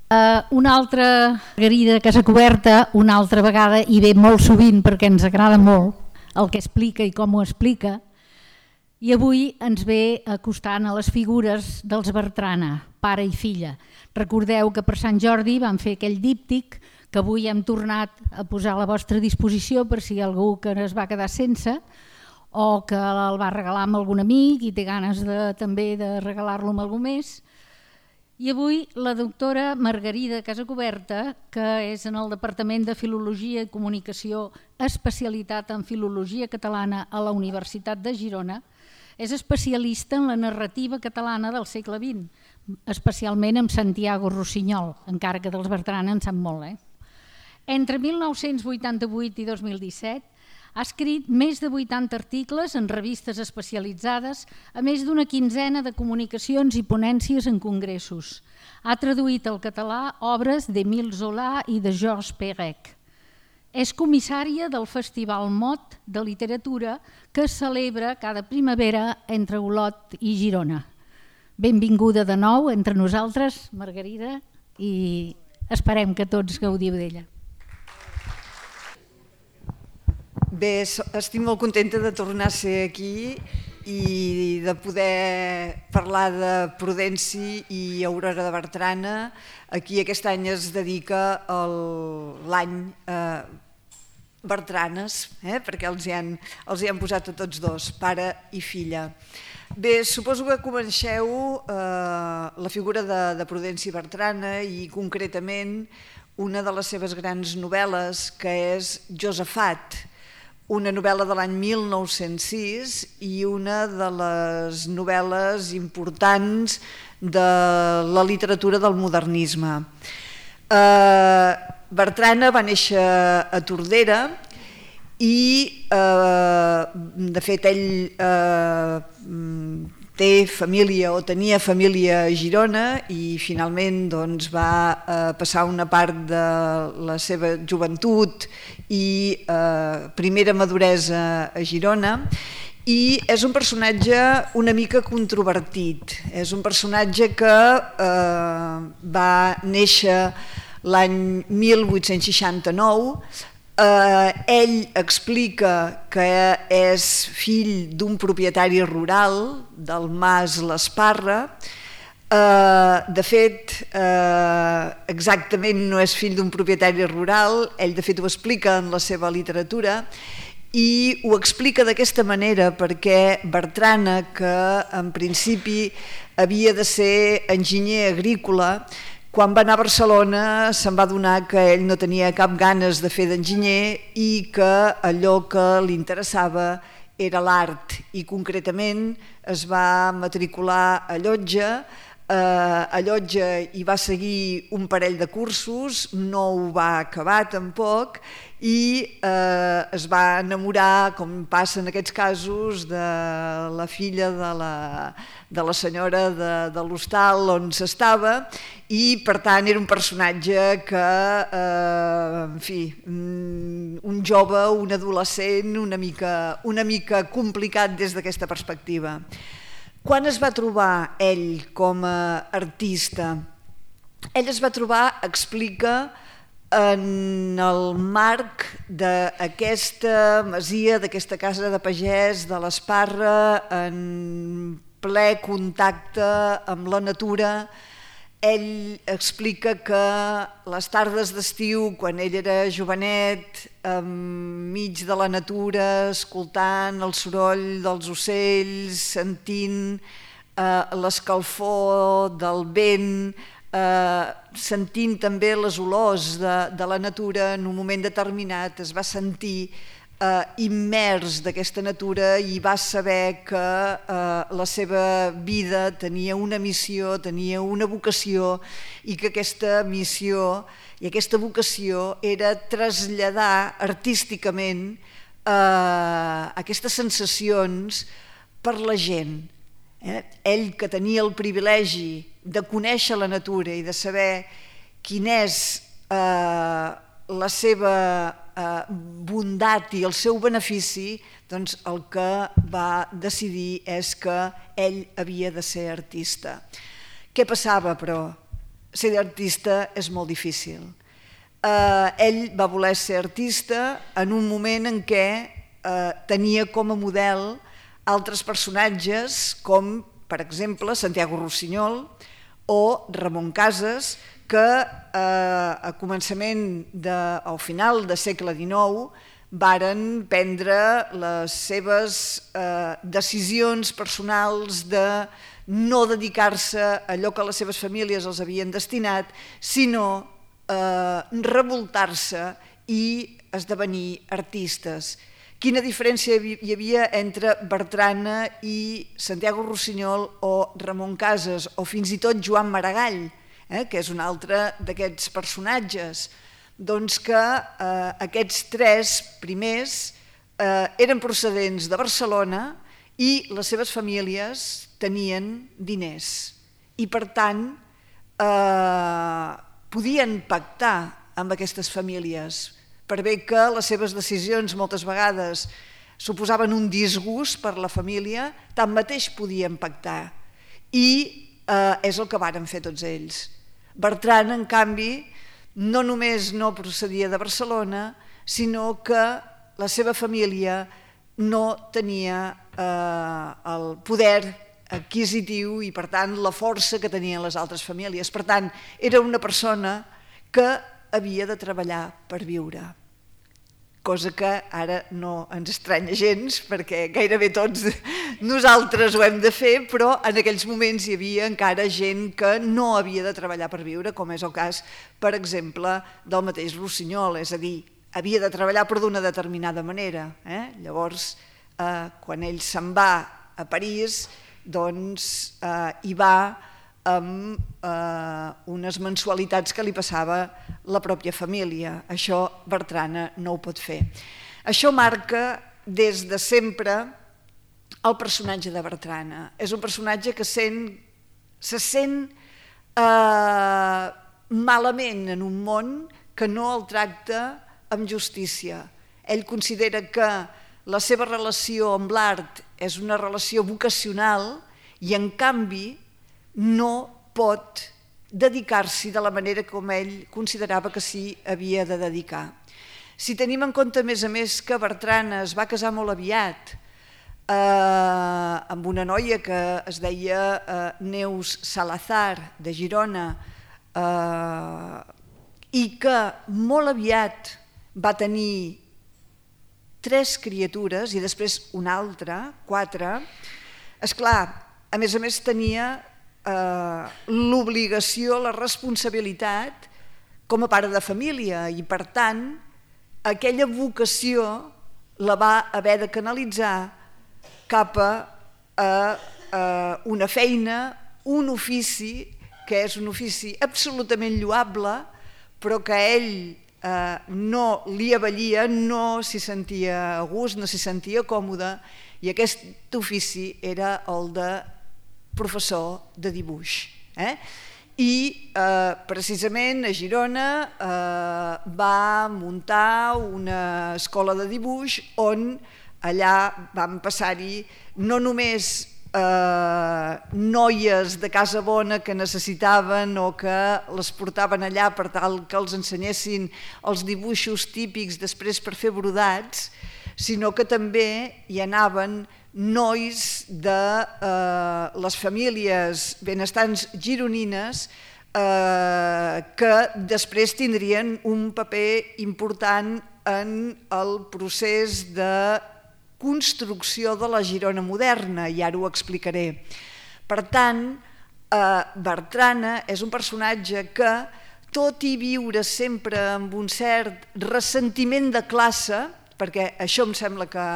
Una altra Margarida Casacuberta, una altra vegada, i ve molt sovint perquè ens agrada molt el que explica i com ho explica, i avui ens ve acostant a les figures dels Bertrana, pare i filla. Recordeu que per Sant Jordi vam fer aquell díptic que avui hem tornat a posar a la vostra disposició per si hi ha algú que es va quedar sense o que el va regalar amb algun amic i té ganes també de regalar-lo amb algú més. I avui la doctora Margarida Casacuberta, que és en el Departament de Filologia i Comunicació, especialitat en Filologia Catalana a la Universitat de Girona, és especialista en la narrativa catalana del segle XX, especialment amb Santiago Rossinyol, encara que dels Bertrana en sap molt. Entre 1988 i 2017 ha escrit més de 80 articles en revistes especialitzades, a més d'una quinzena de comunicacions i ponències en congressos. Ha traduït al català obres d'Émile Zola i de Georges Perec. És comissària del Festival Mot de Literatura que es celebra cada primavera entre Olot i Girona. Benvinguda de nou entre nosaltres, Margarida, i esperem que tots gaudiu d'ella. Bé, estic molt contenta de tornar a ser aquí i de poder parlar de Prudenci i Aurora de Bertrana. Aquí aquest any es dedica l'any Bertranes, perquè els hi han posat a tots dos, pare i filla. Bé, suposo que coneixeu la figura de Prudenci Bertrana i concretament una de les seves grans novel·les, que és Josafat, una novel·la de l'any 1906 i una de les novel·les importants de la literatura del modernisme. Bertrana va néixer a Tordera i, de fet, ell té família o tenia família a Girona i finalment va passar una part de la seva joventut i primera maduresa a Girona, i és un personatge una mica controvertit. És un personatge que va néixer l'any 1869. Ell explica que és fill d'un propietari rural del Mas l'Esparra. De fet, exactament no és fill d'un propietari rural, ell de fet ho explica en la seva literatura i ho explica d'aquesta manera perquè Bertrana, que en principi havia de ser enginyer agrícola, quan va anar a Barcelona se'n va adonar que ell no tenia cap ganes de fer d'enginyer i que allò que li interessava era l'art i concretament es va matricular a Llotja. A Llotja hi va seguir un parell de cursos, no ho va acabar tampoc i es va enamorar, com passa en aquests casos, de la filla de la senyora de l'hostal on s'estava i per tant era un personatge que, en fi, un jove, un adolescent una mica complicat des d'aquesta perspectiva. Quan es va trobar ell com a artista? Ell es va trobar, explica, en el marc d'aquesta masia, d'aquesta casa de pagès de l'Esparra, en ple contacte amb la natura. Ell explica que les tardes d'estiu, quan ell era jovenet, enmig de la natura, escoltant el soroll dels ocells, sentint l'escalfor del vent, sentint també les olors de la natura, en un moment determinat es va sentir immers d'aquesta natura i va saber que la seva vida tenia una missió, tenia una vocació i que aquesta missió i aquesta vocació era traslladar artísticament aquestes sensacions per la gent. Ell, que tenia el privilegi de conèixer la natura i de saber quin és la seva bondat i el seu benefici, doncs el que va decidir és que ell havia de ser artista. Què passava, però? ser artista és molt difícil. Ell va voler ser artista en un moment en què tenia com a model altres personatges com, per exemple, Santiago Rossinyol o Ramon Casas, que a al final del segle XIX varen prendre les seves decisions personals de no dedicar-se a allò que les seves famílies els havien destinat, sinó revoltar-se i esdevenir artistes. Quina diferència hi havia entre Bertrana i Santiago Rossinyol o Ramon Casas o fins i tot Joan Maragall, que és un altre d'aquests personatges? Doncs que aquests tres primers eren procedents de Barcelona i les seves famílies tenien diners i per tant podien pactar amb aquestes famílies, per bé que les seves decisions moltes vegades suposaven un disgust per la família, tanmateix podien pactar. I és el que varen fer tots ells. Bertran, en canvi, no només no procedia de Barcelona, sinó que la seva família no tenia el poder adquisitiu i, per tant, la força que tenien les altres famílies. Per tant, era una persona que havia de treballar per viure, cosa que ara no ens estranya gens perquè gairebé tots nosaltres ho hem de fer, però en aquells moments hi havia encara gent que no havia de treballar per viure, com és el cas, per exemple, del mateix Rossinyol, és a dir, havia de treballar però d'una determinada manera. Llavors, quan ell se'n va a París, doncs hi va amb unes mensualitats que li passava la pròpia família. Això Bertrana no ho pot fer. Això marca des de sempre el personatge de Bertrana. És un personatge que se sent malament en un món que no el tracta amb justícia. Ell considera que la seva relació amb l'art és una relació vocacional i, en canvi, no pot dedicar-s'hi de la manera com ell considerava que s'hi havia de dedicar. Si tenim en compte, a més, que Bertrana es va casar molt aviat amb una noia que es deia Neus Salazar, de Girona, i que molt aviat va tenir 3 criatures i després una altra, 4, esclar, a més tenia l'obligació, la responsabilitat com a pare de família i, per tant, aquella vocació la va haver de canalitzar cap a una feina, un ofici, que és un ofici absolutament lloable, però que a ell no li avallia, no s'hi sentia a gust, no s'hi sentia còmode, i aquest ofici era el de professor de dibuix. I precisament a Girona va muntar una escola de dibuix on allà van passar-hi no només noies de casa bona que necessitaven o que les portaven allà per tal que els ensenyessin els dibuixos típics després per fer brodats, sinó que també hi anaven nois de les famílies benestants gironines que després tindrien un paper important en el procés de construcció de la Girona moderna, i ara ho explicaré. Per tant, Bertrana és un personatge que, tot i viure sempre amb un cert ressentiment de classe, perquè això em sembla que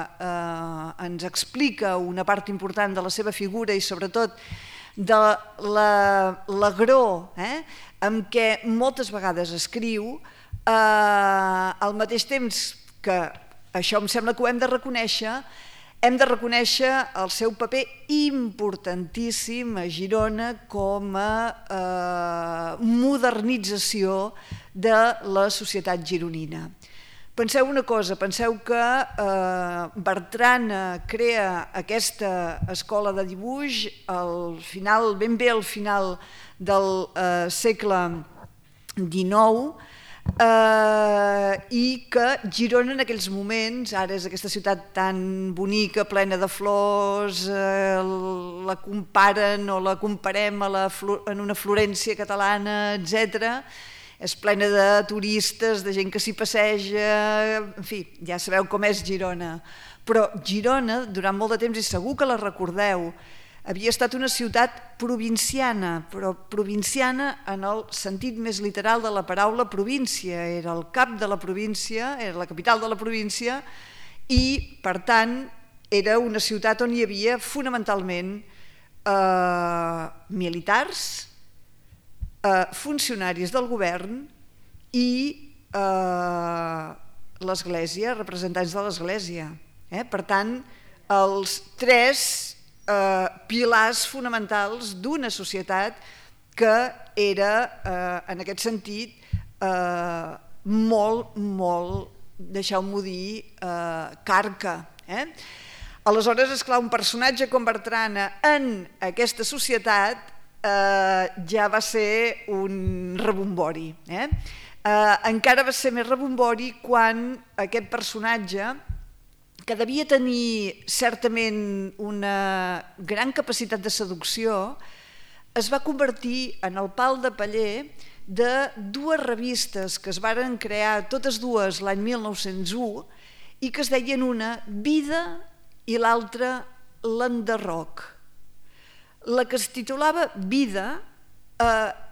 ens explica una part important de la seva figura i sobretot de l'agror amb què moltes vegades escriu, al mateix temps que això em sembla que ho hem de reconèixer el seu paper importantíssim a Girona com a modernització de la societat gironina. Penseu una cosa, penseu que Bertrana crea aquesta escola de dibuix ben bé al final del segle XIX, i que Girona en aquells moments, ara és aquesta ciutat tan bonica, plena de flors, la comparen o la comparem en una Florència catalana, etc. És plena de turistes, de gent que s'hi passeja, en fi, ja sabeu com és Girona. Però Girona, durant molt de temps, i segur que la recordeu, havia estat una ciutat provinciana, però provinciana en el sentit més literal de la paraula província. Era el cap de la província, era la capital de la província i, per tant, era una ciutat on hi havia fonamentalment militars, funcionaris del govern i l'Església, representants de l'Església. Per tant, els tres pilars fonamentals d'una societat que era, en aquest sentit, molt, deixeu-m'ho dir, carca. Aleshores, esclar, un personatge com Bertrana en aquesta societat ja va ser un rebombori. Encara va ser més rebombori quan aquest personatge, que devia tenir certament una gran capacitat de seducció, es va convertir en el pal de paller de dues revistes que es varen crear, totes dues l'any 1901, i que es deien una Vida i l'altra L'Enderroc. La que es titulava Vida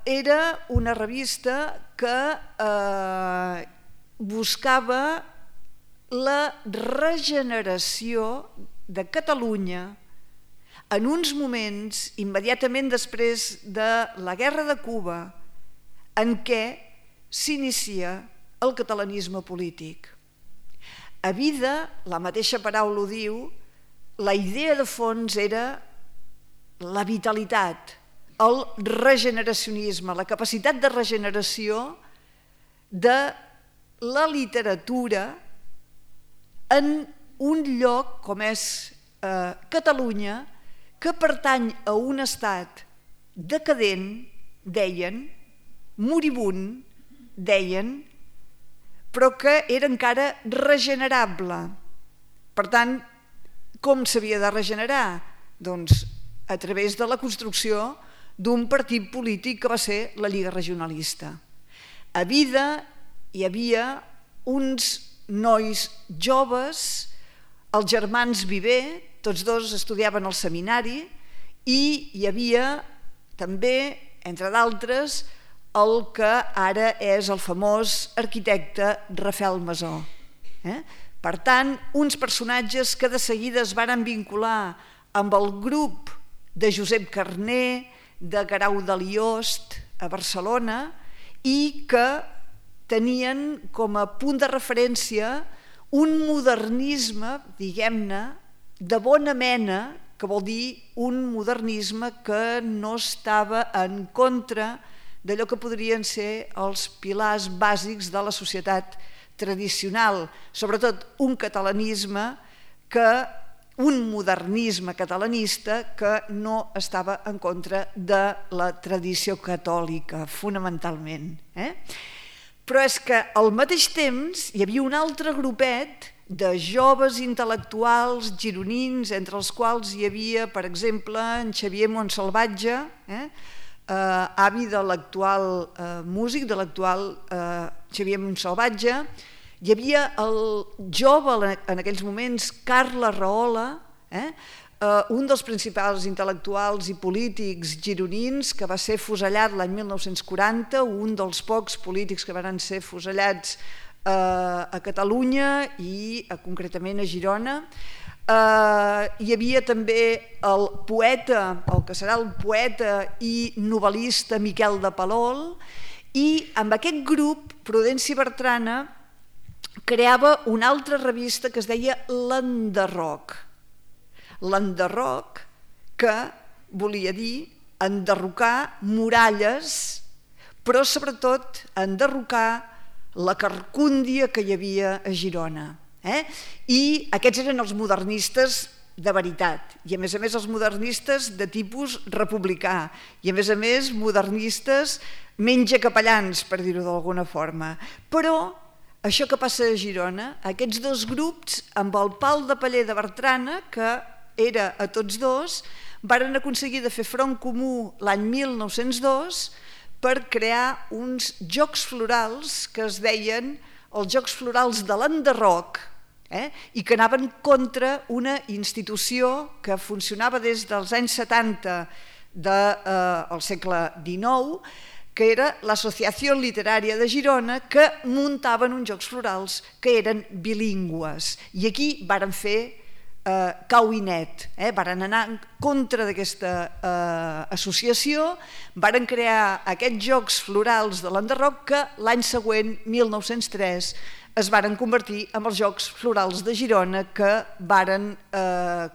era una revista que buscava la regeneració de Catalunya en uns moments immediatament després de la Guerra de Cuba en què s'inicia el catalanisme polític. A Vida, la mateixa paraula ho diu, la idea de fons era la vitalitat, el regeneracionisme, la capacitat de regeneració de la literatura en un lloc com és Catalunya, que pertany a un estat decadent, deien, moribund, deien, però que era encara regenerable. Per tant, com s'havia de regenerar? Doncs a través de la construcció d'un partit polític que va ser la Lliga Regionalista. A Vida hi havia uns nois joves, els germans Viver, tots dos estudiaven al seminari, i hi havia també, entre d'altres, el que ara és el famós arquitecte Rafael Masó. Per tant, uns personatges que de seguida es varen vincular amb el grup de Josep Carner, de Guerau de Liost a Barcelona, i que tenien com a punt de referència un modernisme, diguem-ne, de bona mena, que vol dir un modernisme que no estava en contra d'allò que podrien ser els pilars bàsics de la societat tradicional, sobretot un catalanisme un modernisme catalanista que no estava en contra de la tradició catòlica, fonamentalment. Però és que al mateix temps hi havia un altre grupet de joves intel·lectuals gironins, entre els quals hi havia, per exemple, en Xavier Montsalvatge, avi de l'actual músic, de l'actual Xavier Montsalvatge. Hi havia el jove en aquells moments, Carles Rahola, un dels principals intel·lectuals i polítics gironins que va ser fusellat l'any 1940, un dels pocs polítics que van ser fusellats a Catalunya i concretament a Girona. Hi havia també el poeta, el que serà el poeta i novel·lista Miquel de Palol, i amb aquest grup Prudenci Bertrana creava una altra revista que es deia L'Enderroc. L'Enderroc, que volia dir enderrocar muralles, però sobretot enderrocar la carcúndia que hi havia a Girona. I aquests eren els modernistes de veritat, i a més els modernistes de tipus republicà, i a més modernistes menys capellans, per dir-ho d'alguna forma. Però això que passa a Girona, aquests dos grups, amb el Pal de Paller de Bertrana, que era a tots dos, varen aconseguir de fer front comú l'any 1902 per crear uns jocs florals que es deien els Jocs Florals de l'Enderroc, i que anaven contra una institució que funcionava des dels anys 70 del segle XIX, que era l'Associació Literària de Girona, que muntaven uns Jocs Florals que eren bilingües. I aquí varen fer cau i net, varen anar en contra d'aquesta associació, varen crear aquests Jocs Florals de l'Enderroc que l'any següent, 1903, es varen convertir en els Jocs Florals de Girona, que varen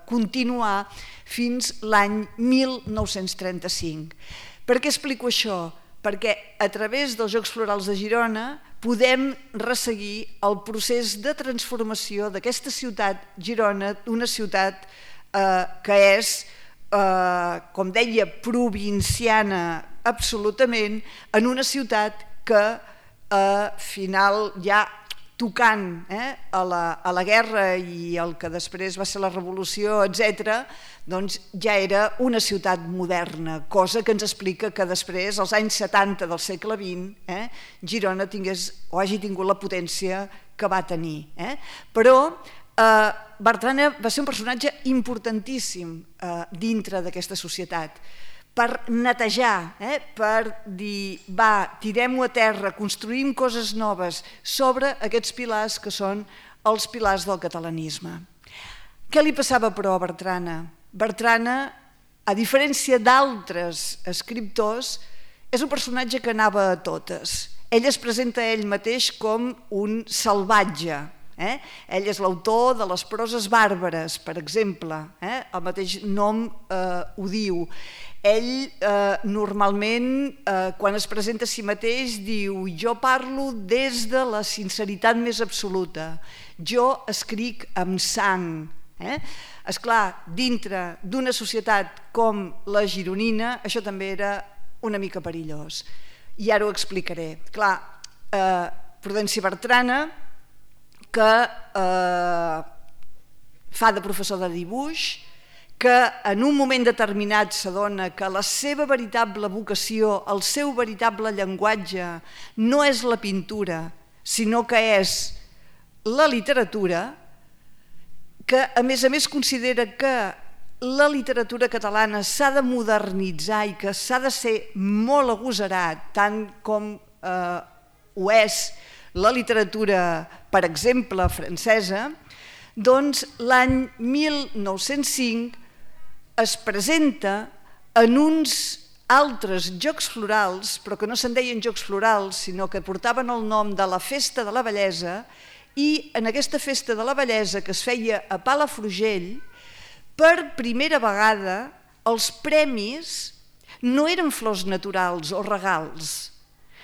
continuar fins l'any 1935. Per què explico això? Perquè a través dels Jocs Florals de Girona podem resseguir el procés de transformació d'aquesta ciutat, Girona, una ciutat que és, com deia, provinciana absolutament, en una ciutat que al final ja tocant a la guerra i el que després va ser la revolució, etc., doncs ja era una ciutat moderna, cosa que ens explica que després, als anys 70 del segle XX, Girona tingués o hagi tingut la potència que va tenir. Però Bertrana va ser un personatge importantíssim dintre d'aquesta societat, per netejar, per dir, va, tirem-ho a terra, construïm coses noves sobre aquests pilars que són els pilars del catalanisme. Què li passava però a Bertrana? Bertrana, a diferència d'altres escriptors, és un personatge que anava a totes. Ell es presenta a ell mateix com un salvatge. Ell és l'autor de les proses bàrbares, per exemple, el mateix nom ho diu. Ell normalment, quan es presenta a si mateix, diu: jo parlo des de la sinceritat més absoluta, jo escric amb sang. Esclar, dintre d'una societat com la gironina, això també era una mica perillós. I ara ho explicaré. Clar, Prudenci Bertrana, que fa de professor de dibuix, que en un moment determinat s'adona que la seva veritable vocació, el seu veritable llenguatge, no és la pintura, sinó que és la literatura, que a més considera que la literatura catalana s'ha de modernitzar i que s'ha de ser molt agosarat, tant com ho és la literatura, per exemple, francesa, doncs l'any 1905 es presenta en uns altres Jocs Florals, però que no se'n deien Jocs Florals, sinó que portaven el nom de la Festa de la Bellesa, i en aquesta Festa de la Bellesa, que es feia a Palafrugell, per primera vegada els premis no eren flors naturals o regals,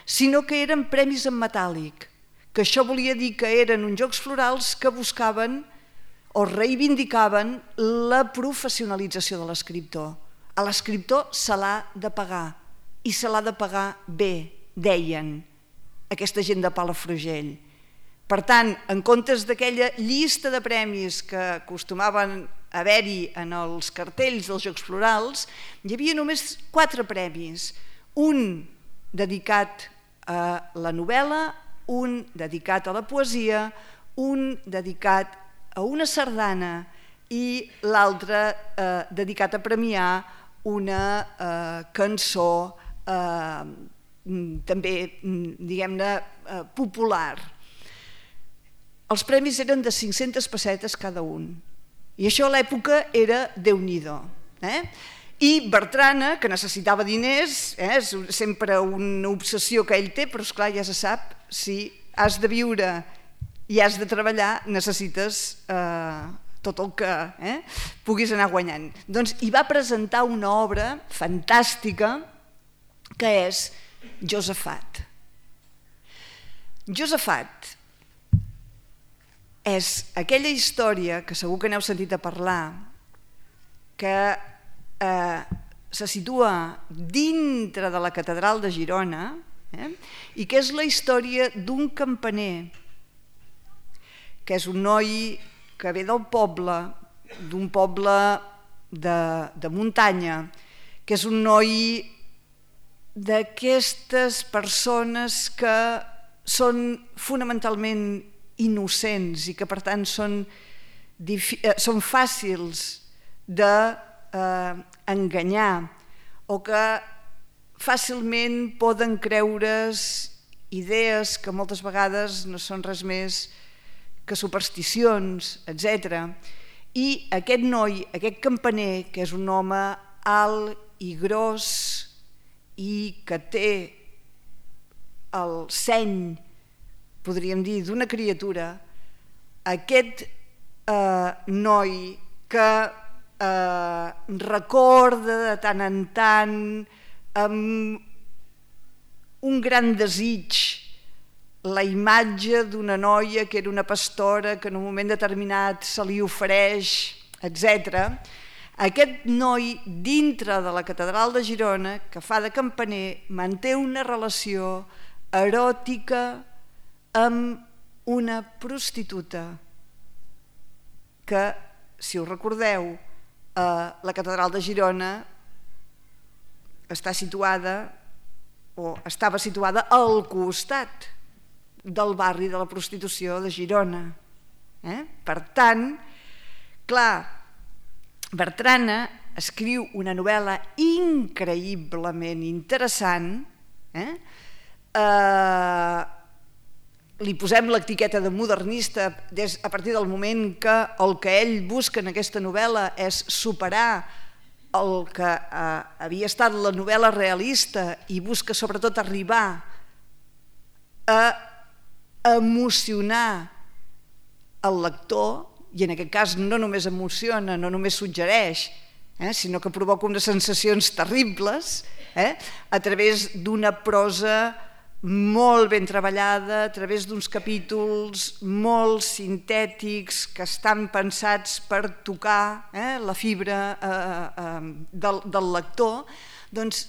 sinó que eren premis en metàl·lic, que això volia dir que eren uns Jocs Florals que buscaven o reivindicaven la professionalització de l'escriptor. A l'escriptor se l'ha de pagar, i se l'ha de pagar bé, deien aquesta gent de Palafrugell. Per tant, en comptes d'aquella llista de premis que acostumaven a haver-hi en els cartells dels Jocs Florals, hi havia només 4 premis, un dedicat a la novel·la, un dedicat a la poesia, un dedicat a una sardana i l'altre dedicat a premiar una cançó també, diguem-ne, popular. Els premis eren de 500 pessetes cada un, i això a l'època era Déu-n'hi-do. I Bertrana, que necessitava diners, és sempre una obsessió que ell té, però esclar, ja se sap, si has de viure i has de treballar, necessites tot el que puguis anar guanyant. Doncs hi va presentar una obra fantàstica que és Josafat. Josafat és aquella història que segur que n'heu sentit a parlar, que se situa dintre de la catedral de Girona, i que és la història d'un campaner, que és un noi que ve del poble, d'un poble de muntanya, que és un noi d'aquestes persones que són fonamentalment innocents i que per tant són fàcils d'enganyar o que fàcilment poden creure's idees que moltes vegades no són res més que supersticions, etc. I aquest noi, aquest campaner, que és un home alt i gros i que té el seny, podríem dir, d'una criatura, aquest noi que recorda de tant en tant amb un gran desig la imatge d'una noia que era una pastora que en un moment determinat se li ofereix, etc. Aquest noi dintre de la catedral de Girona, que fa de campaner, manté una relació eròtica amb una prostituta que, si us recordeu, la catedral de Girona està situada o estava situada al costat del barri de la prostitució de Girona. Per tant, clar, Bertrana escriu una novel·la increïblement interessant. Li posem l'etiqueta de modernista a partir del moment que el que ell busca en aquesta novel·la és superar el que havia estat la novel·la realista i busca sobretot arribar a emocionar el lector, i en aquest cas no només emociona, no només suggereix, sinó que provoca unes sensacions terribles a través d'una prosa molt ben treballada, a través d'uns capítols molt sintètics que estan pensats per tocar la fibra del lector, doncs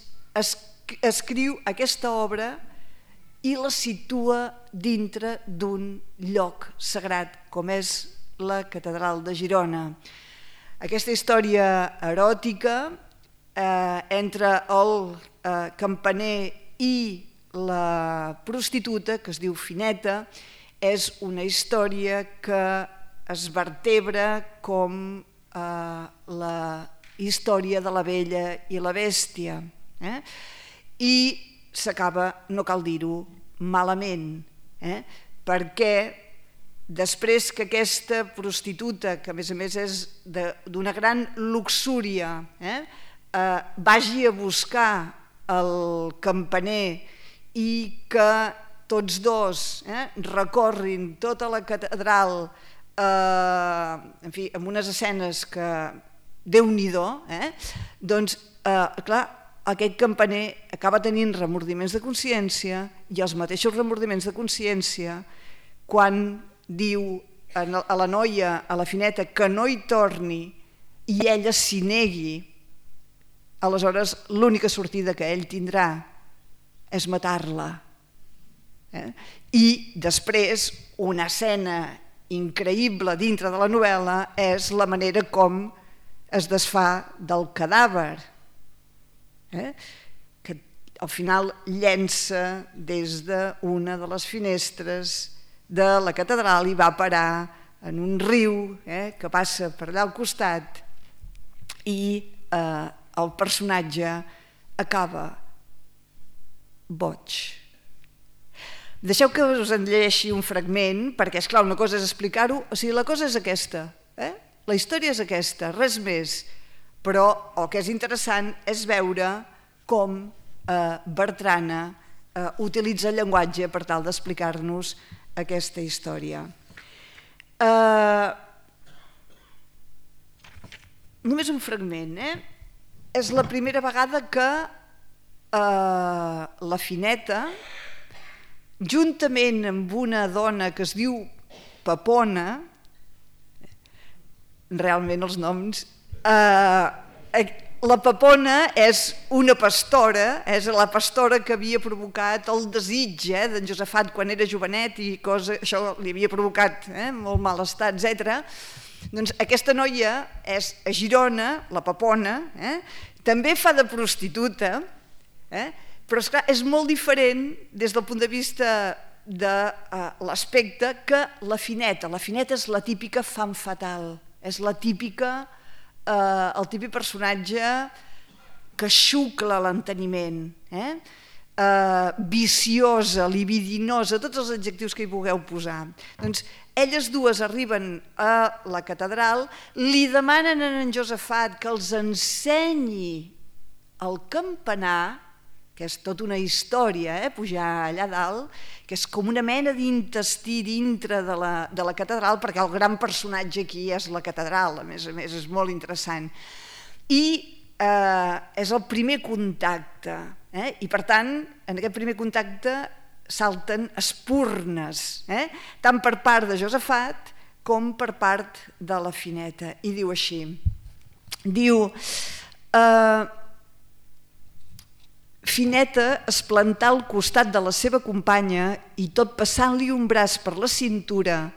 escriu aquesta obra i la situa dintre d'un lloc sagrat com és la catedral de Girona. Aquesta història eròtica entre el campaner i la prostituta, que es diu Fineta, és una història que es vertebra com la història de la Bella i la Bèstia. I s'acaba, no cal dir-ho, malament, perquè després que aquesta prostituta, que a més és d'una gran luxúria, vagi a buscar el campaner i que tots dos recorrin tota la catedral, en fi, amb unes escenes que Déu-n'hi-do, doncs, clar, aquest campaner acaba tenint remordiments de consciència i els mateixos remordiments de consciència quan diu a la noia, a la Fineta, que no hi torni i ella s'hi negui, aleshores l'única sortida que ell tindrà és matar-la. I després una escena increïble dintre de la novel·la és la manera com es desfà del cadàver, que al final llença des d'una de les finestres de la catedral i va parar en un riu que passa per allà al costat i el personatge acaba boig. Deixeu que us en llegeixi un fragment, perquè és clar, una cosa és explicar-ho, o sigui, la cosa és aquesta, la història és aquesta, res més. Però el que és interessant és veure com Bertrana utilitza el llenguatge per tal d'explicar-nos aquesta història. Només un fragment. És la primera vegada que la Fineta juntament amb una dona que es diu Pepona, realment els noms, la Pepona és una pastora, és la pastora que havia provocat el desig d'en Josafat quan era jovenet i això li havia provocat molt malestar, etc. Doncs aquesta noia és a Girona, la Pepona, també fa de prostituta, però esclar, és molt diferent des del punt de vista de l'aspecte que la Fineta. La Fineta és la típica femme fatale, és la típica, el típic personatge que xucla l'enteniment, viciosa, libidinosa, tots els adjectius que hi vulgueu posar. Doncs elles dues arriben a la catedral, li demanen a en Josafat que els ensenyi el campanar, que és tota una història, pujar allà dalt, que és com una mena d'intestí dintre de la catedral, perquè el gran personatge aquí és la catedral, a més és molt interessant. I és el primer contacte, i per tant, en aquest primer contacte salten espurnes, tant per part de Josafat com per part de la Fineta. I diu així, diu... Fineta es plantà al costat de la seva companya i tot passant-li un braç per la cintura,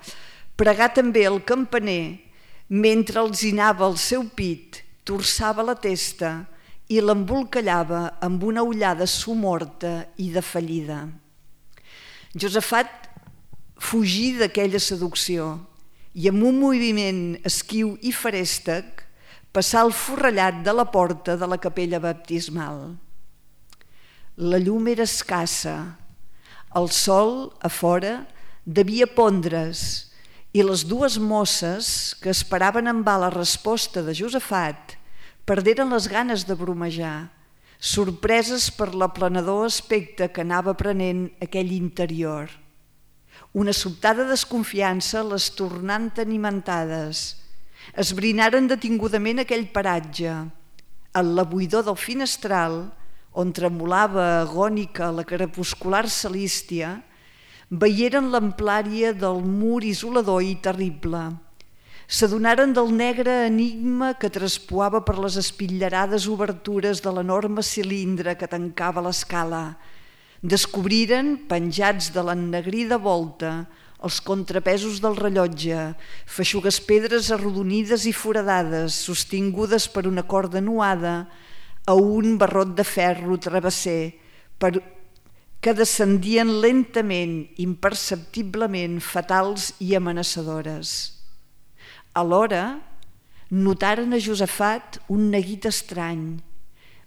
pregà també el campaner, mentre alzinava el seu pit, torçava la testa i l'embolcallava amb una ullada somorta i defallida. Josafat fugí d'aquella seducció i amb un moviment esquiu i ferèstec passà el forrellat de la porta de la capella baptismal. La llum era escassa, el sol, a fora, devia pondre's i les dues mosses que esperaven en va la resposta de Josafat perderen les ganes de bromejar, sorpreses per l'aplanador aspecte que anava prenent aquell interior. Una sobtada desconfiança les tornant animentades. Esbrinaren detingudament aquell paratge. En la buidor del finestral, on tremolava agònica la crepuscular celístia, veieren l'amplària del mur isolador i terrible. S'adonaren del negre enigma que traspuava per les espitllerades obertures de l'enorme cilindre que tancava l'escala. Descobriren, penjats de l'ennegrida volta, els contrapesos del rellotge, feixugues pedres arrodonides i foradades, sostingudes per una corda nuada, a un barrot de ferro travesser que descendien lentament, imperceptiblement, fatals i amenaçadores. Alhora, notaren a Josafat un neguit estrany.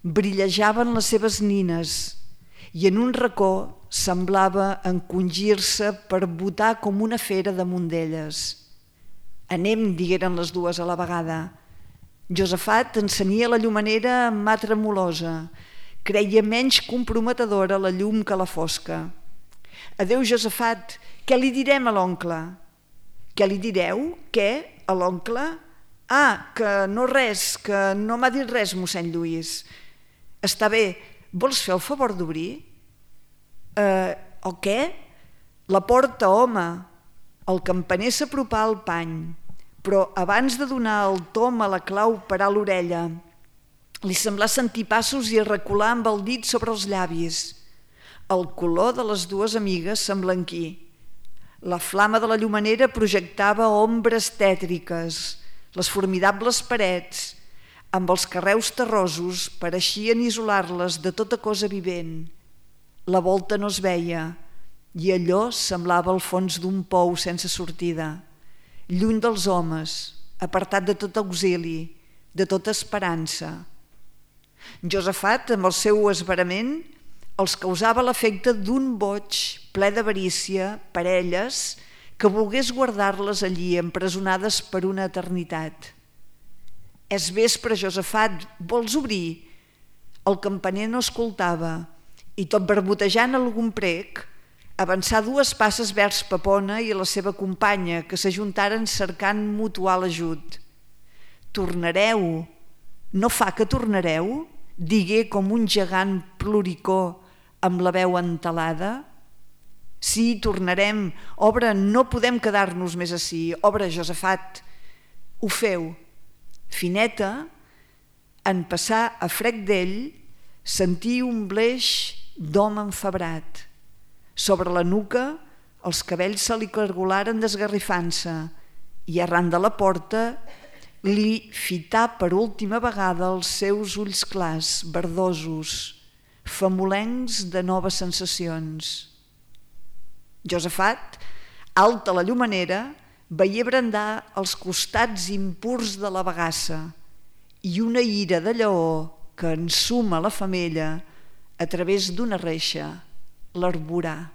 Brillejaven les seves nines i en un racó semblava encongir-se per botar com una fera damunt d'elles. «Anem», digueren les dues a la vegada. Josafat encenia la llumenera amb mà tremolosa. Creia menys comprometedora la llum que la fosca. «Adéu, Josafat, què li direm a l'oncle?» «Què li direu? Què? A l'oncle?» «Ah, que no res, que no m'ha dit res, mossèn Lluís». «Està bé, vols fer el favor d'obrir?» «O què?» «La porta, home». El campaner s'apropà al pany, però abans de donar el tom a la clau parà l'orella. Li semblà sentir passos i recular amb el dit sobre els llavis. El color de les dues amigues s'emblanquí. La flama de la llumenera projectava ombres tètriques. Les formidables parets, amb els carreus terrosos, pareixien isolar-les de tota cosa vivent. La volta no es veia i allò semblava el fons d'un pou sense sortida. Lluny dels homes, apartat de tot auxili, de tota esperança. Josafat, amb el seu esverament, els causava l'efecte d'un boig ple d'avarícia per elles que volgués guardar-les allí empresonades per una eternitat. «És vespre, Josafat, vols obrir?» El campaner no escoltava i, tot barbotejant algun prec, avançà 2 passes vers Pepona i la seva companya, que s'ajuntaren cercant mutual ajut. «Tornareu? No fa que tornareu?» digué com un gegant ploricó amb la veu entelada. Sí, tornarem. Obra, no podem quedar-nos més ací. Obra, Josafat, ho feu. Fineta, en passar a frec d'ell, sentí un bleix d'home enfebrat. Sobre la nuca, els cabells se li cargolaren desgarrifant-se i arran de la porta li fità per última vegada els seus ulls clars, verdosos, famolencs de noves sensacions. Josafat, alt a la llumenera, veia brandar els costats impurs de la bagassa i una ira de lleó que ensuma la femella a través d'una reixa l'arborà.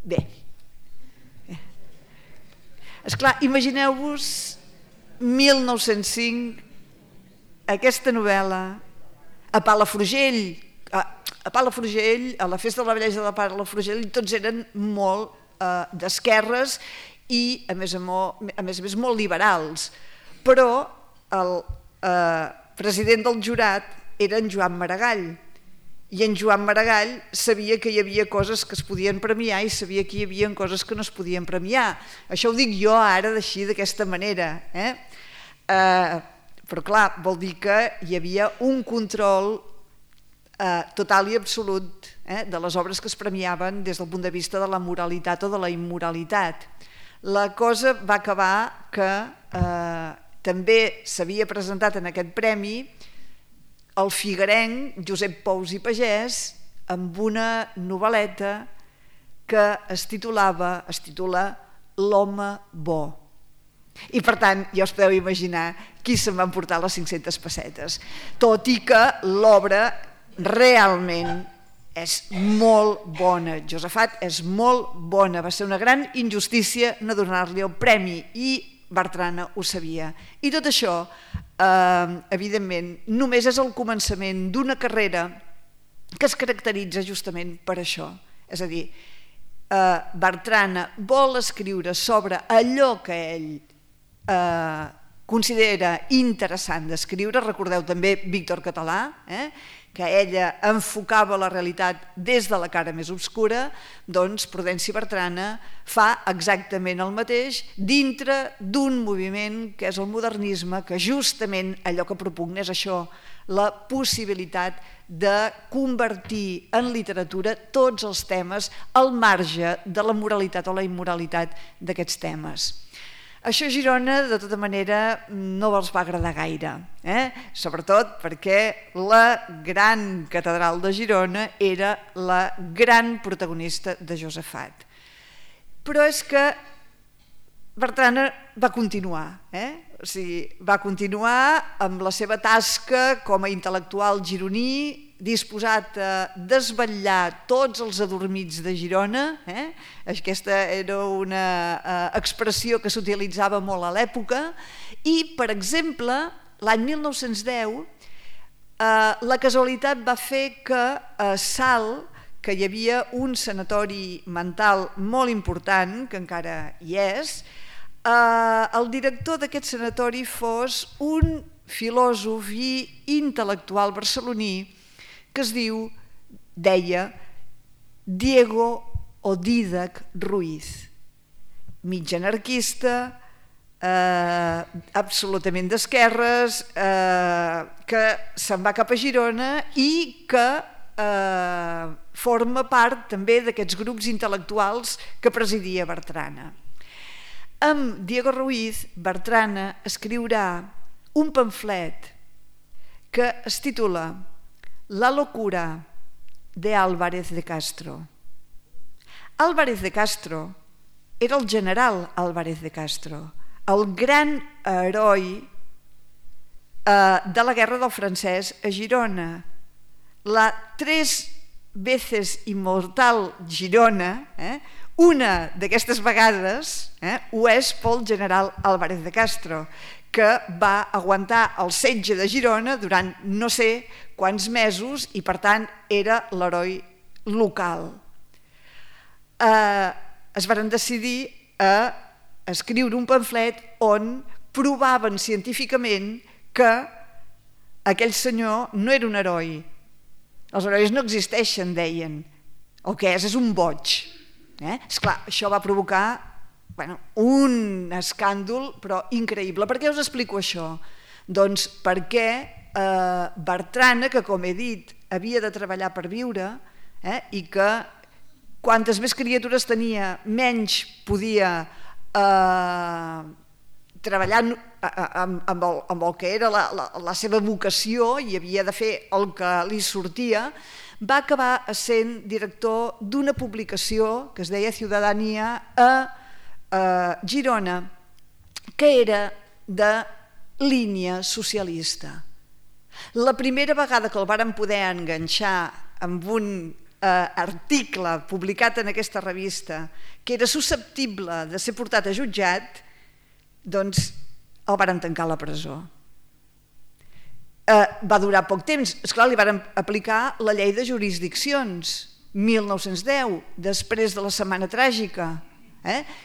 Bé, esclar, imagineu-vos 1905, aquesta novel·la, a Palafrugell, a la festa de la bellesa de Palafrugell, tots eren molt d'esquerres i, a més a més, molt liberals. Però el president del jurat era en Joan Maragall, i en Joan Maragall sabia que hi havia coses que es podien premiar i sabia que hi havia coses que no es podien premiar. Això ho dic jo ara d'aquesta manera. Però clar, vol dir que hi havia un control total i absolut de les obres que es premiaven des del punt de vista de la moralitat o de la immoralitat. La cosa va acabar que també s'havia presentat en aquest premi el figuerenc Josep Pous i Pagès amb una novel·leta que es titula L'home bo. I per tant, ja us podeu imaginar qui se'n va emportar les 500 pessetes. Tot i que l'obra realment és molt bona. Josafat és molt bona. Va ser una gran injustícia no donar-li el premi i Bertrana ho sabia. I tot això, evidentment, només és el començament d'una carrera que es caracteritza justament per això. És a dir, Bertrana vol escriure sobre allò que ell considera interessant d'escriure. Recordeu també Víctor Català, que ella enfocava la realitat des de la cara més obscura. Doncs Prudenci Bertrana fa exactament el mateix dintre d'un moviment que és el modernisme, que justament allò que propugna és això, la possibilitat de convertir en literatura tots els temes al marge de la moralitat o la immoralitat d'aquests temes. Això a Girona, de tota manera, no els va agradar gaire, sobretot perquè la gran catedral de Girona era la gran protagonista de Josafat. Però és que Bertrana va continuar, va continuar amb la seva tasca com a intel·lectual gironí, disposat a desvetllar tots els adormits de Girona. Aquesta era una expressió que s'utilitzava molt a l'època. I, per exemple, l'any 1910, la casualitat va fer que a Salt, que hi havia un sanatori mental molt important, que encara hi és, el director d'aquest sanatori fos un filòsof i intel·lectual barceloní que es deia Diego o Dídac Ruiz, mig anarquista, absolutament d'esquerres, que se'n va cap a Girona i que forma part també d'aquests grups intel·lectuals que presidia Bertrana. Amb Diego Ruiz, Bertrana escriurà un pamflet que es titula La locura de Álvarez de Castro. Álvarez de Castro era el general Álvarez de Castro, el gran heroi de la guerra del francès a Girona. La 3 veces inmortal Girona, una d'aquestes vegades ho és pel general Álvarez de Castro, que va aguantar el setge de Girona durant no sé quants mesos i, per tant, era l'heroi local. Es van decidir a escriure un pamflet on provaven científicament que aquell senyor no era un heroi. Els herois no existeixen, deien. el que és un boig. Esclar, això va provocar un escàndol, però increïble. Per què us explico això? Doncs perquè Bertrana, que com he dit, havia de treballar per viure i que quantes més criatures tenia, menys podia treballar amb el que era la seva vocació i havia de fer el que li sortia, va acabar sent director d'una publicació que es deia Ciutadania a Girona, que era de línia socialista. La primera vegada que el varen poder enganxar amb un article publicat en aquesta revista que era susceptible de ser portat a jutjat, doncs el varen tancar a la presó. Va durar poc temps. Esclar, li varen aplicar la llei de jurisdiccions, 1910, després de la Setmana Tràgica.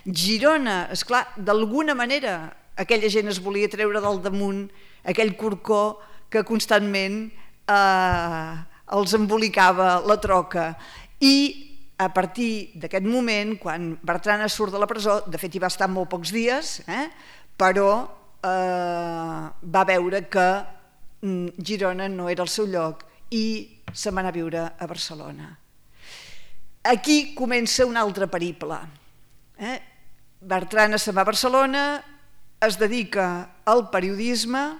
Girona, esclar, d'alguna manera aquella gent es volia treure del damunt aquell corcó que constantment els embolicava la troca. I a partir d'aquest moment, quan Bertrana surt de la presó, de fet hi va estar molt pocs dies, però va veure que Girona no era el seu lloc i se'n va anar a viure a Barcelona. Aquí comença un altre periple. Bertrana se'n va a Barcelona, es dedica al periodisme,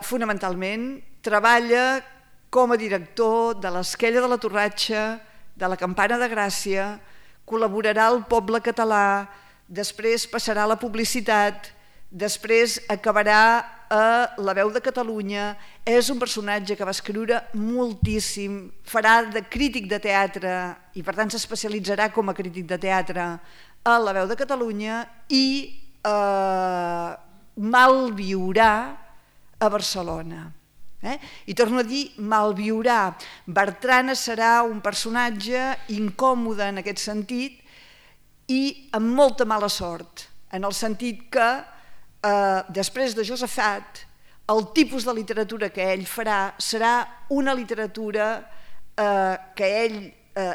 fonamentalment treballa com a director de l'Esquella de la Torratxa, de la Campana de Gràcia, col·laborarà al Poble Català, després passarà a la publicitat, després acabarà a La Veu de Catalunya. És un personatge que va escriure moltíssim, farà de crític de teatre i per tant s'especialitzarà com a crític de teatre a La Veu de Catalunya i malviurà a Barcelona. I torno a dir malviurà. Bertrana serà un personatge incòmode en aquest sentit i amb molta mala sort, en el sentit que després de Josafat el tipus de literatura que ell farà serà una literatura que ell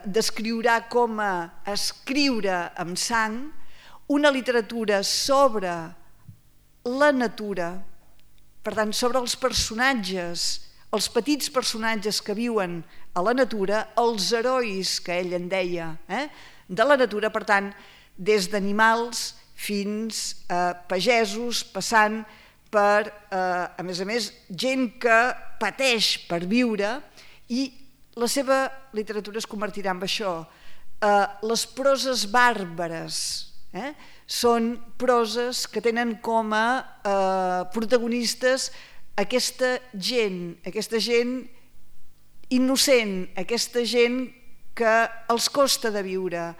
descriurà com a escriure amb sang, una literatura sobre la natura, per tant, sobre els personatges, els petits personatges que viuen a la natura, els herois que ell en deia, de la natura, per tant, des d'animals fins a pagesos, passant per, a més, gent que pateix per viure, i la seva literatura es convertirà en això. Les proses bàrbares són proses que tenen com a protagonistes aquesta gent innocent, aquesta gent que els costa de viure.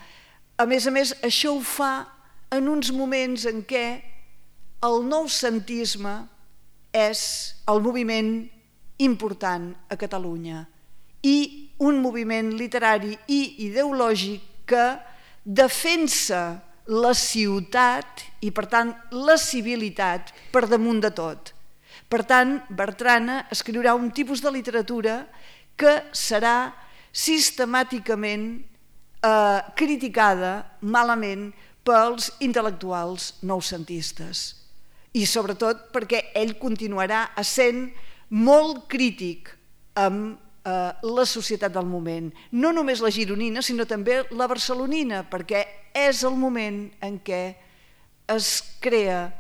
A més, això ho fa en uns moments en què el noucentisme és el moviment important a Catalunya i un moviment literari i ideològic que defensa la ciutat i, per tant, la civilitat per damunt de tot. Per tant, Bertrana escriurà un tipus de literatura que serà sistemàticament criticada malament pels intel·lectuals noucentistes. I sobretot perquè ell continuarà essent molt crític amb la societat del moment. No només la gironina, sinó també la barcelonina, perquè és el moment en què es crea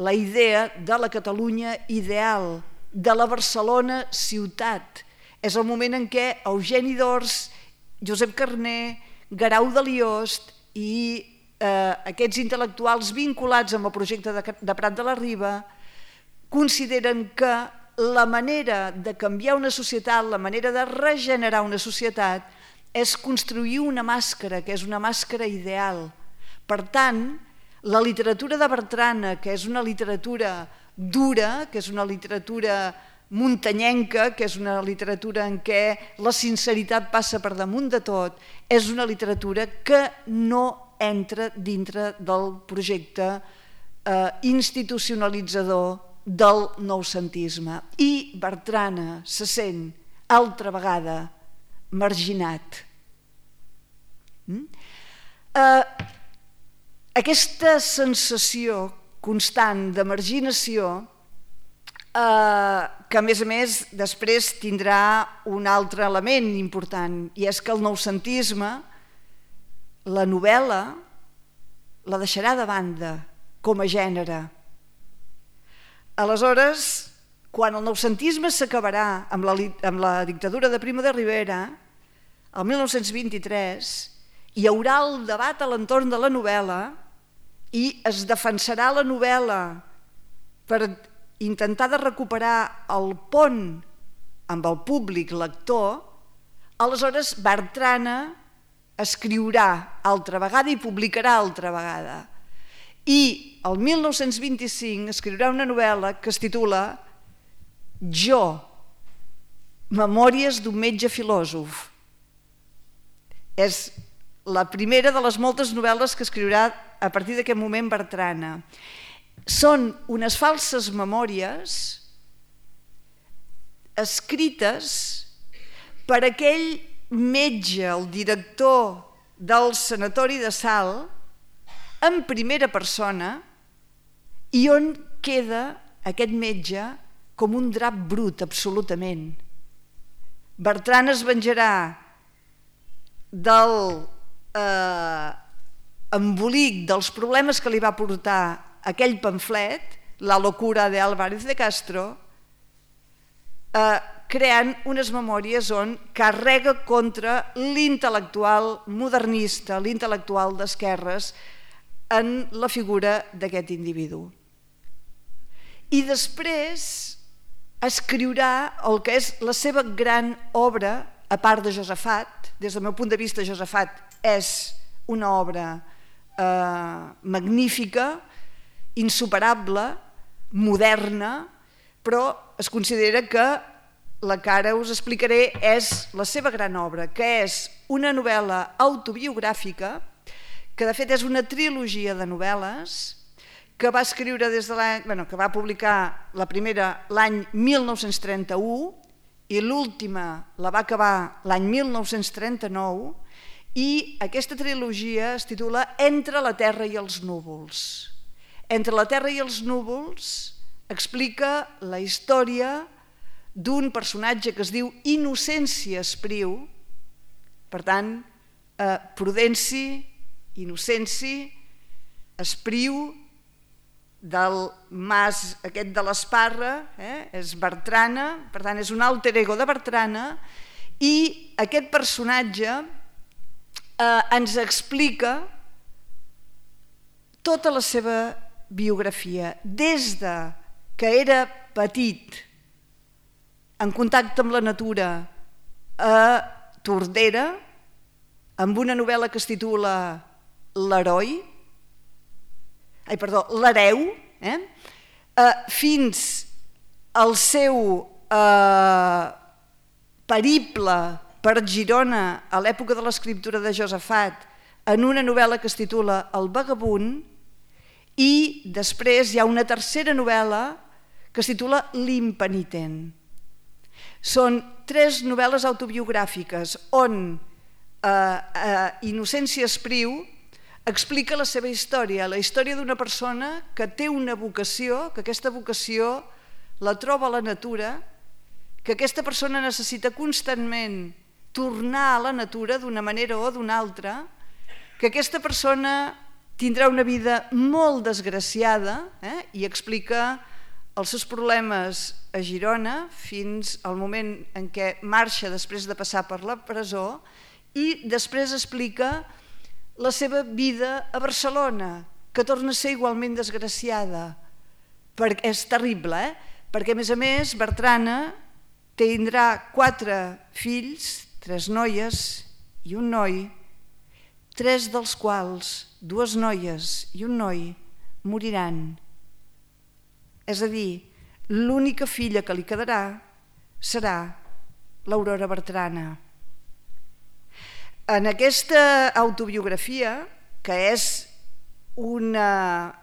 la idea de la Catalunya ideal, de la Barcelona ciutat. És el moment en què Eugeni d'Ors, Josep Carner, Guerau de Liost i aquests intel·lectuals vinculats amb el projecte de Prat de la Riba consideren que la manera de canviar una societat, la manera de regenerar una societat és construir una màscara, que és una màscara ideal. Per tant, la literatura de Bertrana, que és una literatura dura, que és una literatura muntanyenca, que és una literatura en què la sinceritat passa per damunt de tot, és una literatura que no entra dintre del projecte institucionalitzador del noucentisme. I Bertrana se sent altra vegada marginat Aquesta sensació constant de marginació que a més després tindrà un altre element important, i és que el noucentisme la novel·la la deixarà de banda com a gènere. Aleshores, quan el noucentisme s'acabarà amb la dictadura de Primo de Rivera, el 1923, hi haurà el debat a l'entorn de la novel·la i es defensarà la novel·la per intentar de recuperar el pont amb el públic lector. Aleshores Bertrana escriurà altra vegada i publicarà altra vegada. I el 1925 escriurà una novel·la que es titula Jo, memòries d'un metge filòsof. És la primera de les moltes novel·les que escriurà a partir d'aquest moment Bertrana. Són unes falses memòries escrites per aquell metge, el director del sanatori de Salt, en primera persona, i on queda aquest metge com un drap brut, absolutament. Bertrana es venjarà del embolic dels problemes que li va portar aquell pamflet, La locura de Álvarez de Castro, creant unes memòries on carrega contra l'intel·lectual modernista, l'intel·lectual d'esquerres, en la figura d'aquest individu. I després escriurà el que és la seva gran obra, a part de Josafat. Des del meu punt de vista, Josafat és una obra magnífica, insuperable, moderna, però es considera que la que ara us explicaré és la seva gran obra, que és una novel·la autobiogràfica, que de fet és una trilogia de novel·les, que va escriure que va publicar la primera l'any 1931 i l'última la va acabar l'any 1939, i aquesta trilogia es titula Entre la terra i els núvols. Entre la terra i els núvols explica la història d'un personatge que es diu Innocenci Espriu, per tant, Prudenci, Innocenci, Espriu, del mas aquest de l'Esparra, és Bertrana, per tant és un alter ego de Bertrana, i aquest personatge ens explica tota la seva biografia, des que era petit, en contacte amb la natura, a Tordera, amb una novel·la que es titula L'hereu, fins al seu periple per Girona a l'època de l'escriptura de Josafat, en una novel·la que es titula El vagabund, i després hi ha una tercera novel·la que es titula L'impenitent. Són 3 novel·les autobiogràfiques on Innocenci Espriu explica la seva història, la història d'una persona que té una vocació, que aquesta vocació la troba a la natura, que aquesta persona necessita constantment tornar a la natura d'una manera o d'una altra, que aquesta persona tindrà una vida molt desgraciada, i explica els seus problemes a Girona fins al moment en què marxa després de passar per la presó, i després explica la seva vida a Barcelona, que torna a ser igualment desgraciada. És terrible, perquè a més Bertrana tindrà 4 fills, 3 noies i un noi, 3 dels quals, 2 noies i un noi, moriran. És a dir, l'única filla que li quedarà serà l'Aurora Bertrana. En aquesta autobiografia, que és una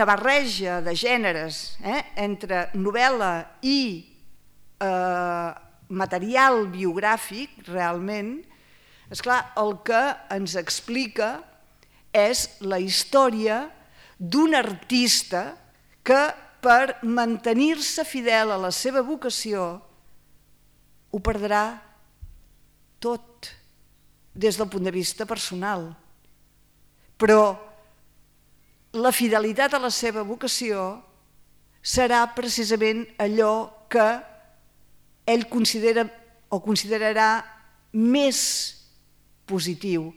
barreja de gèneres entre novel·la i material biogràfic, realment, Esclar, el que ens explica és la història d'un artista que per mantenir-se fidel a la seva vocació ho perdrà tot des del punt de vista personal. Però la fidelitat a la seva vocació serà precisament allò que ell considera o considerarà més positiu,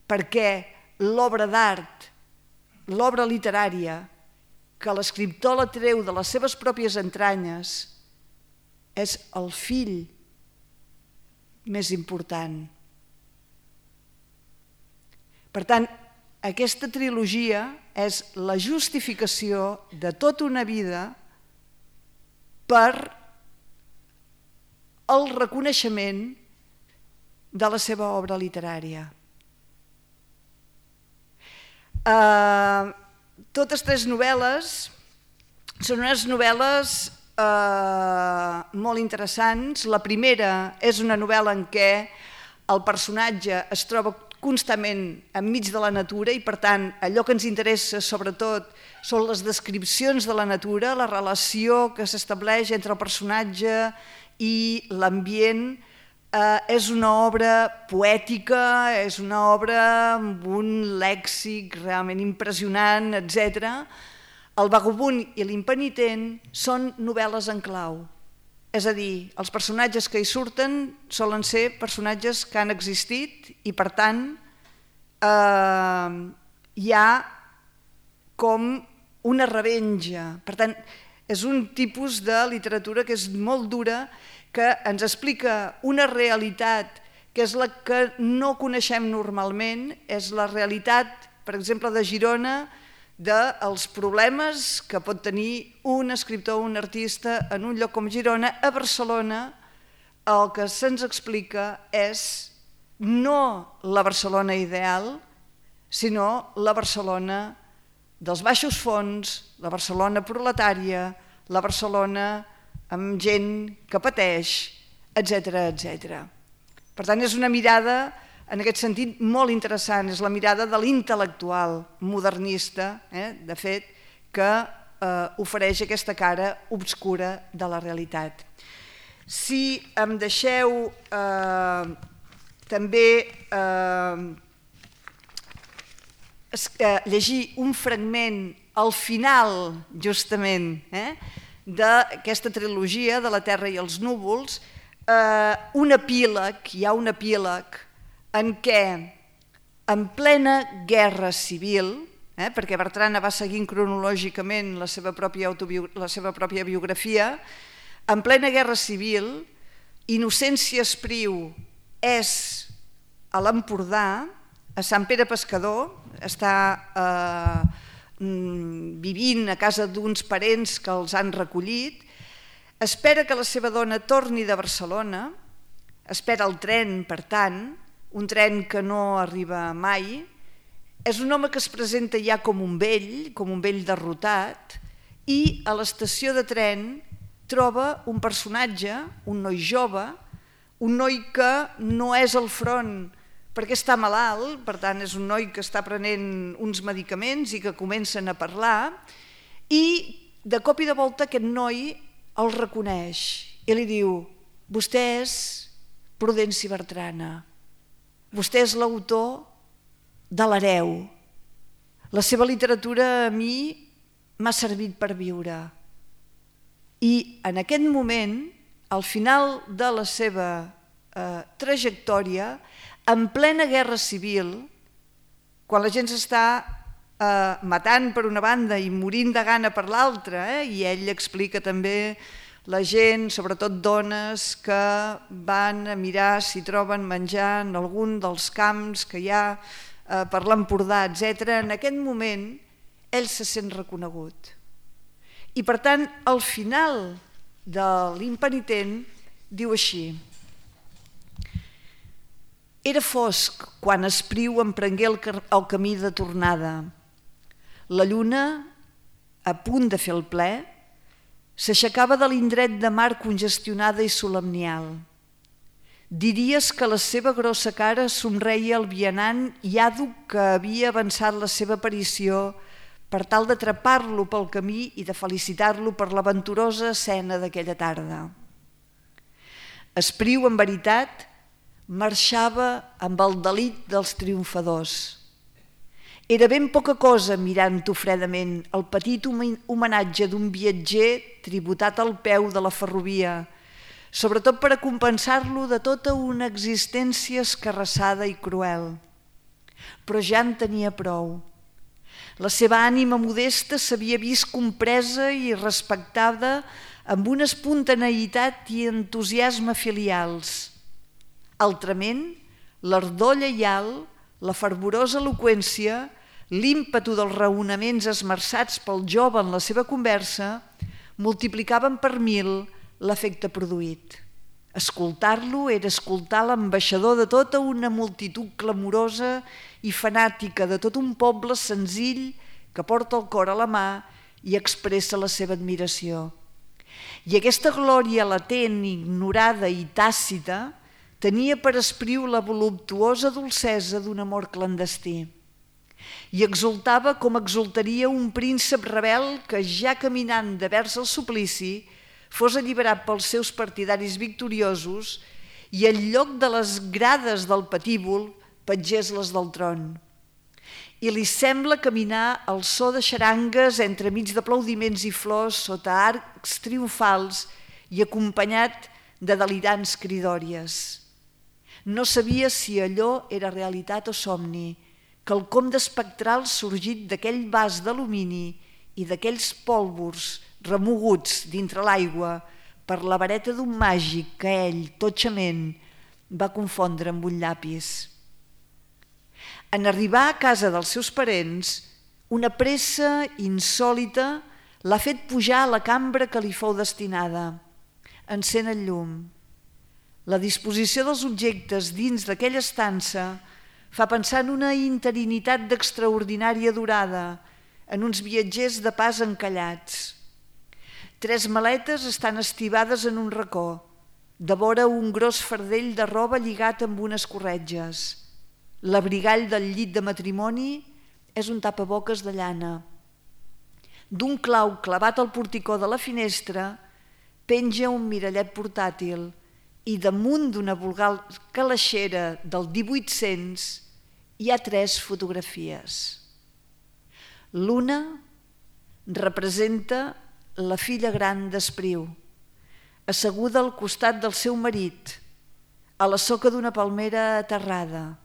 perquè l'obra d'art, l'obra literària, que l'escriptor la treu de les seves pròpies entranyes, és el fill més important. Per tant, aquesta trilogia és la justificació de tota una vida per el reconeixement de la seva obra literària. Totes tres novel·les són unes novel·les molt interessants. La primera és una novel·la en què el personatge es troba constantment enmig de la natura i, per tant, allò que ens interessa sobretot són les descripcions de la natura, la relació que s'estableix entre el personatge i l'ambient. És una obra poètica, és una obra amb un lèxic realment impressionant, etc. El vagabund i l'impenitent són novel·les en clau. És a dir, els personatges que hi surten solen ser personatges que han existit i, per tant, hi ha com una revenja. Per tant, és un tipus de literatura que és molt dura, que ens explica una realitat que és la que no coneixem normalment, és la realitat, per exemple, de Girona, dels problemes que pot tenir un escriptor o un artista en un lloc com Girona. A Barcelona el que se'ns explica és no la Barcelona ideal, sinó la Barcelona dels baixos fons, la Barcelona proletària, la Barcelona amb gent que pateix, etc. etc. Per tant, és una mirada, en aquest sentit, molt interessant. És la mirada de l'intel·lectual modernista, de fet, que ofereix aquesta cara obscura de la realitat. Si em deixeu també llegir un fragment al final, justament, d'aquesta trilogia de La Terra i els núvols, un epíleg, hi ha un epíleg en què, en plena guerra civil, perquè Bertrana va seguint cronològicament la seva pròpia biografia, en plena guerra civil, Innocència Espriu és a l'Empordà, a Sant Pere Pescador, està vivint a casa d'uns parents que els han recollit, espera que la seva dona torni de Barcelona, espera el tren, per tant, un tren que no arriba mai. És un home que es presenta ja com un vell derrotat, i a l'estació de tren troba un personatge, un noi jove, un noi que no és al front perquè està malalt, per tant és un noi que està prenent uns medicaments i que comencen a parlar, i de cop i de volta aquest noi el reconeix i li diu: vostè és Prudenci Bertrana, vostè és l'autor de l'Hereu, la seva literatura a mi m'ha servit per viure. I en aquest moment, al final de la seva trajectòria, en plena guerra civil, quan la gent s'està matant per una banda i morint de gana per l'altra, i ell explica també la gent, sobretot dones, que van a mirar si troben menjar en algun dels camps que hi ha per l'Empordà, etc. En aquest moment ell se sent reconegut. I per tant, al final de l'impenitent diu així: era fosc quan Espriu emprengué el camí de tornada. La lluna, a punt de fer el ple, s'aixecava de l'indret de mar congestionada i solemnial. Diries que la seva grossa cara somreia el vianant i àdhuc que havia avançat la seva aparició per tal d'atrapar-lo pel camí i de felicitar-lo per l'aventurosa escena d'aquella tarda. Espriu, en veritat, marxava amb el delit dels triomfadors. Era ben poca cosa mirant-ho fredament el petit homenatge d'un viatger tributat al peu de la ferrovia, sobretot per a compensar-lo de tota una existència escarrassada i cruel. Però ja en tenia prou. La seva ànima modesta s'havia vist compresa i respectada amb una espontaneïtat i entusiasme filials. Altrament, l'ardor lleial, la fervorosa eloqüència, l'ímpetu dels raonaments esmerçats pel jove en la seva conversa multiplicaven per 1000 l'efecte produït. Escoltar-lo era escoltar l'ambaixador de tota una multitud clamorosa i fanàtica, de tot un poble senzill que porta el cor a la mà i expressa la seva admiració. I aquesta glòria latent, ignorada i tàcita tenia per Espriu la voluptuosa dolcesa d'un amor clandestí. I exultava com exultaria un príncep rebel que, ja caminant de vers al suplici, fos alliberat pels seus partidaris victoriosos i en lloc de les grades del patíbul petgés les del tron. I li sembla caminar al so de xarangues entremig d'aplaudiments i flors sota arcs triomfals i acompanyat de delirants cridòries. No sabia si allò era realitat o somni, quelcom d'espectral sorgit d'aquell vas d'alumini i d'aquells pòlvors remoguts dintre l'aigua per la vareta d'un màgic que ell, totxament, va confondre amb un llapis. En arribar a casa dels seus parents, una pressa insòlita l'ha fet pujar a la cambra que li fou destinada. Encén el llum. La disposició dels objectes dins d'aquella estança fa pensar en una interinitat d'extraordinària durada, en uns viatgers de pas encallats. 3 maletes estan estibades en un racó, devora un gros fardell de roba lligat amb unes corretges. L'abrigall del llit de matrimoni és un tapaboques de llana. D'un clau clavat al porticó de la finestra penja un mirallet portàtil i damunt d'una vulgar calaixera del 1800 hi ha 3 fotografies. L'una representa la filla gran d'Espriu, asseguda al costat del seu marit, a la soca d'una palmera aterrada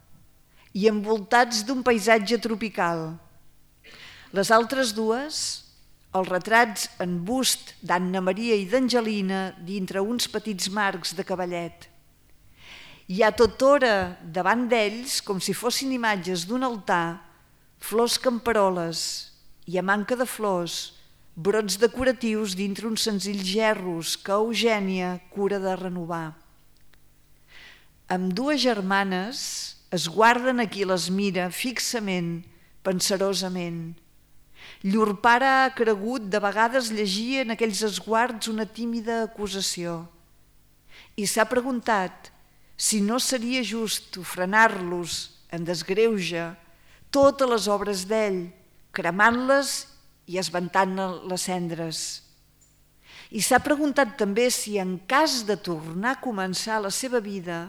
i envoltats d'un paisatge tropical. Les altres dues, els retrats en bust d'Anna Maria i d'Angelina dintre uns petits marcs de cavallet. Hi ha tothora davant d'ells, com si fossin imatges d'un altar, flors camperoles i, a manca de flors, brots decoratius dintre uns senzills gerros que Eugènia cura de renovar. Ambdues germanes es guarden a qui les mira fixament, pensarosament. Llur pare ha cregut de vegades llegir en aquells esguards una tímida acusació i s'ha preguntat si no seria just ofrenar-los en desgreuge totes les obres d'ell, cremant-les i esventant les cendres. I s'ha preguntat també si en cas de tornar a començar la seva vida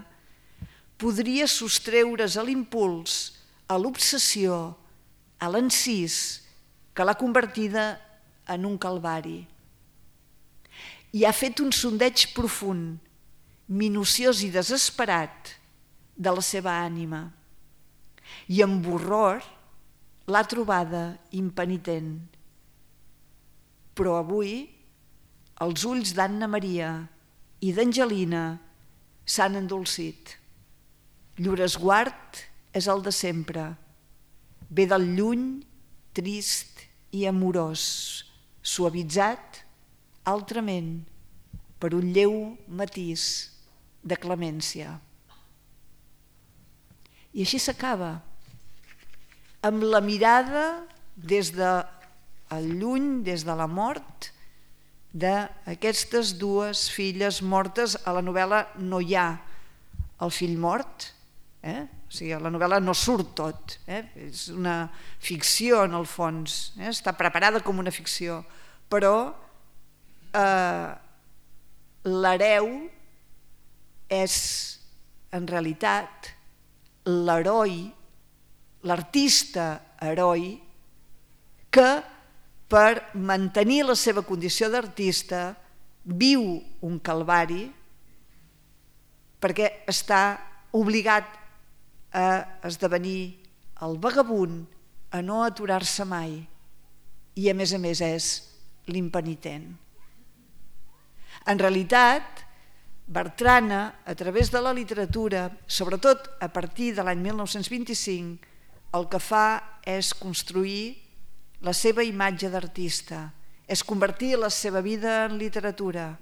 podria sostreure's a l'impuls, a l'obsessió, a l'encís que l'ha convertida en un calvari. I ha fet un sondeig profund, minuciós i desesperat de la seva ànima. I amb horror l'ha trobada impenitent. Però avui els ulls d'Anna Maria i d'Angelina s'han endolcit. Llur esguard és el de sempre, ve del lluny, trist i amorós, suavitzat, altrament, per un lleu matís de clemència. I així s'acaba, amb la mirada des del lluny, des de la mort, d'aquestes dues filles mortes. A la novel·la no hi ha el fill mort, o sigui, la novel·la no surt tot, és una ficció en el fons, està preparada com una ficció, però l'hereu és en realitat l'heroi, l'artista heroi que per mantenir la seva condició d'artista viu un calvari perquè està obligat a esdevenir el vagabund, a no aturar-se mai, i a més és l'impenitent. En realitat, Bertrana, a través de la literatura, sobretot a partir de l'any 1925, el que fa és construir la seva imatge d'artista, és convertir la seva vida en literatura.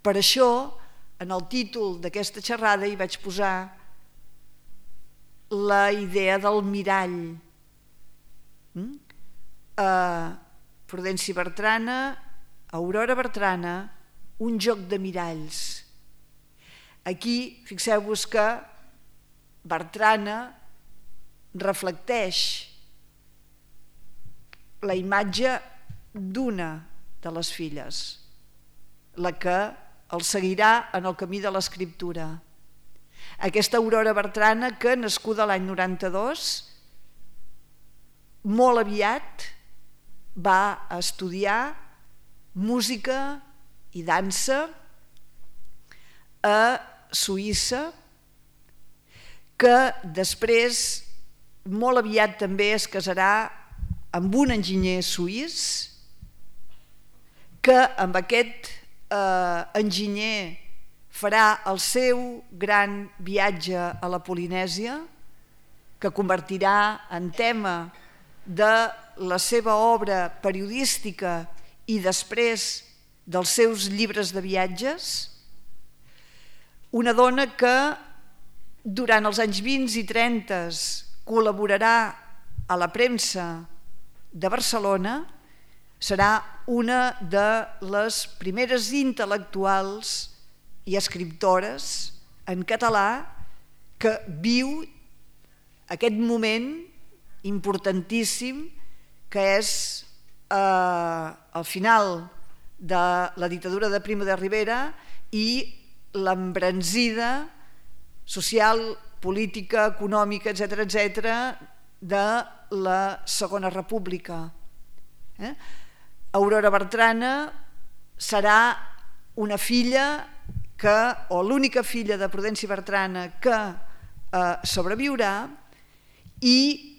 Per això, en el títol d'aquesta xerrada hi vaig posar la idea del mirall. Prudenci Bertrana, Aurora Bertrana, un joc de miralls. Aquí, fixeu-vos que Bertrana reflecteix la imatge d'una de les filles, la que el seguirà en el camí de l'escriptura. Aquesta Aurora Bertrana, que nascuda l'any 92, molt aviat va estudiar música i dansa a Suïssa, que després molt aviat també es casarà amb un enginyer suís, que amb aquest enginyer farà el seu gran viatge a la Polinèsia, que convertirà en tema de la seva obra periodística i després dels seus llibres de viatges. Una dona que durant els anys 20 i 30 col·laborarà a la premsa de Barcelona, serà una de les primeres intel·lectuals i escriptores en català que viu aquest moment importantíssim que és el final de la dictadura de Primo de Rivera i l'embranzida social, política, econòmica, etc., de la Segona República. Aurora Bertrana serà una filla que, o l'única filla de Prudenci Bertrana que sobreviurà, i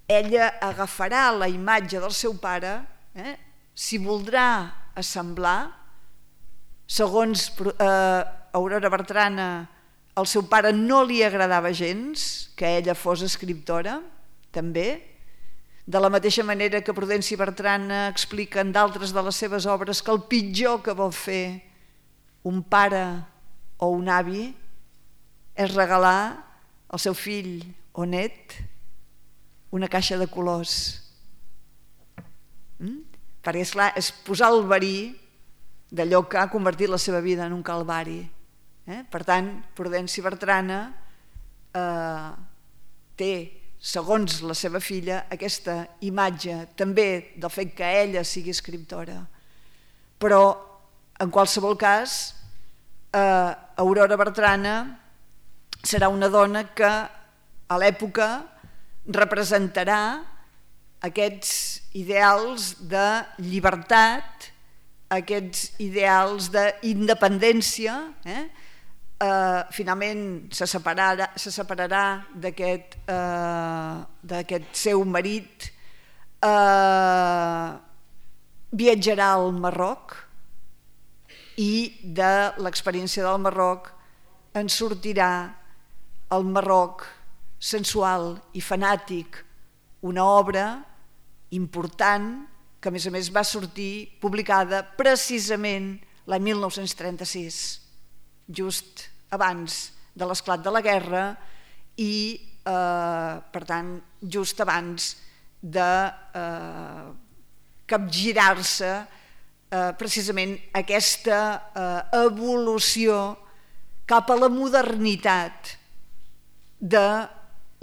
ella agafarà la imatge del seu pare, s'hi voldrà assemblar. Segons Aurora Bertrana, al seu pare no li agradava gens que ella fos escriptora, també, de la mateixa manera que Prudenci Bertrana explica en d'altres de les seves obres que el pitjor que vol fer un pare o un avi és regalar al seu fill o net una caixa de colors. Perquè, esclar, és posar el verí d'allò que ha convertit la seva vida en un calvari. Per tant, Prudenci Bertrana té, segons la seva filla, aquesta imatge també del fet que ella sigui escriptora. Però, en qualsevol cas, Aurora Bertrana serà una dona que a l'època representarà aquests ideals de llibertat, aquests ideals d'independència. Finalment se separarà d'aquest seu marit, viatjarà al Marroc i de l'experiència del Marroc en sortirà el Marroc sensual i fanàtic, una obra important que a més va sortir publicada precisament l'any 1936, just abans de l'esclat de la guerra i, per tant, just abans de capgirar-se precisament aquesta evolució cap a la modernitat de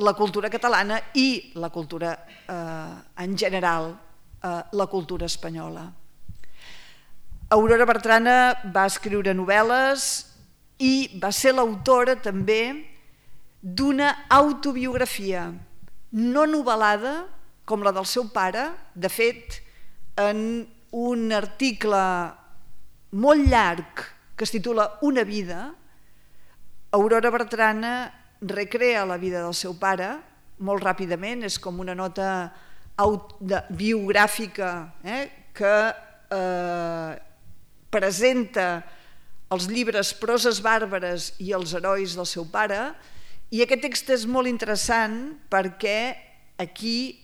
la cultura catalana i la cultura en general, la cultura espanyola. Aurora Bertrana va escriure novel·les i va ser l'autora també d'una autobiografia no novel·lada com la del seu pare. De fet, en un article molt llarg que es titula Una vida, Aurora Bertrana recrea la vida del seu pare molt ràpidament, és com una nota biogràfica que presenta els llibres Proses bàrbares i els herois del seu pare, i aquest text és molt interessant perquè aquí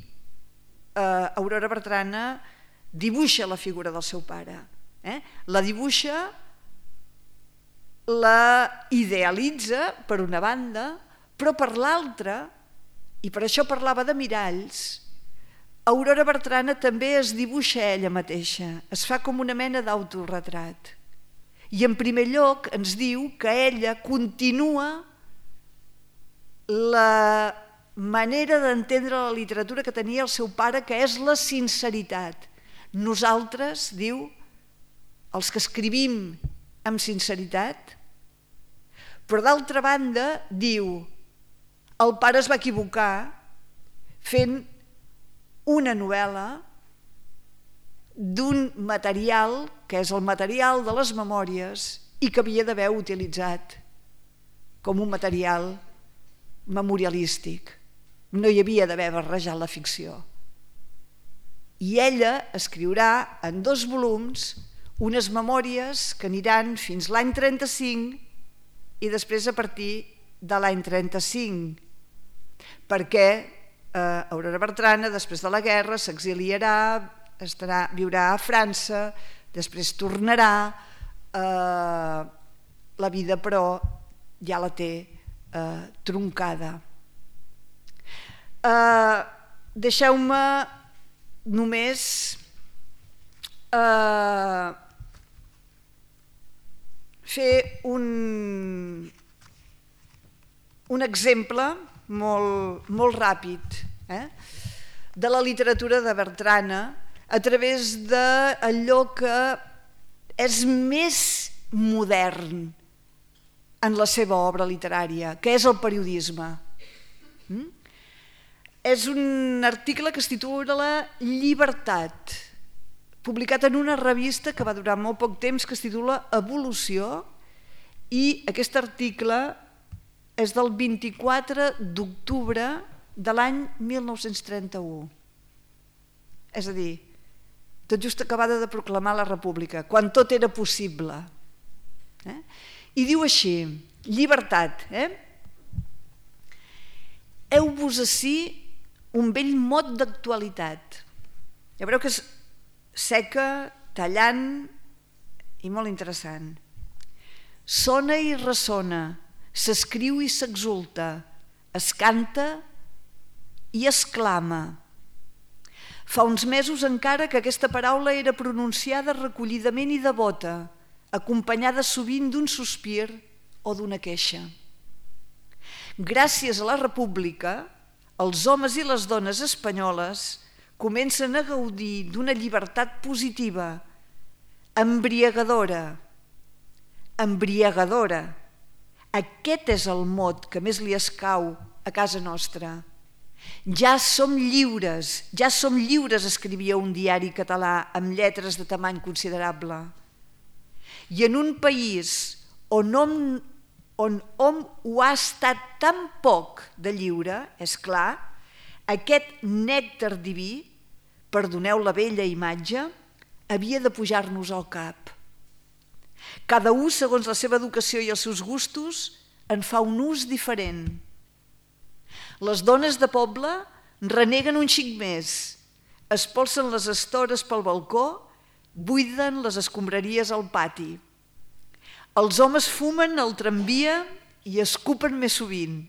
Aurora Bertrana dibuixa la figura del seu pare, la dibuixa, la idealitza per una banda, però per l'altra, i per això parlava de miralls, Aurora Bertrana també es dibuixa ella mateixa, es fa com una mena d'autoretrat. I en primer lloc ens diu que ella continua la manera d'entendre la literatura que tenia el seu pare, que és la sinceritat. Nosaltres, diu, els que escrivim amb sinceritat, però d'altra banda, diu, el pare es va equivocar fent una novel·la d'un material que és el material de les memòries i que havia d'haver utilitzat com un material memorialístic. No hi havia d'haver barrejat la ficció. I ella escriurà en 2 volums unes memòries que aniran fins l'any 35 i després a partir de l'any 35, perquè Aurora Bertrana, després de la guerra, s'exiliarà, viurà a França, després tornarà, la vida però ja la té troncada. Deixeu-me només fer un exemple molt ràpid de la literatura de Bertrana a través d'allò que és més modern en la seva obra literària, que és el periodisme. És un article que es titula Llibertat, publicat en una revista que va durar molt poc temps, que es titula Evolució, i aquest article és del 24 d'octubre de l'any 1931. És a dir, tot just acabada de proclamar la República, quan tot era possible. I diu així, Llibertat. Heu-vos ací un vell mot d'actualitat. Ja veureu que és seca, tallant i molt interessant. Sona i ressona, s'escriu i s'exulta, es canta i es clama. Fa uns mesos encara que aquesta paraula era pronunciada recollidament i devota, acompanyada sovint d'un sospir o d'una queixa. Gràcies a la República, els homes i les dones espanyoles comencen a gaudir d'una llibertat positiva, embriagadora. Embriagadora. Aquest és el mot que més li escau a casa nostra. Ja som lliures, escrivia un diari català amb lletres de tamany considerable. I en un país on hom ho ha estat tan poc de lliure, és clar, aquest nèctar diví, perdoneu la vella imatge, havia de pujar-nos al cap. Cada un, segons la seva educació i els seus gustos, en fa un ús diferent. Les dones de poble reneguen un xic més, espolsen les estores pel balcó, buiden les escombraries al pati. Els homes fumen al tramvia i escupen més sovint.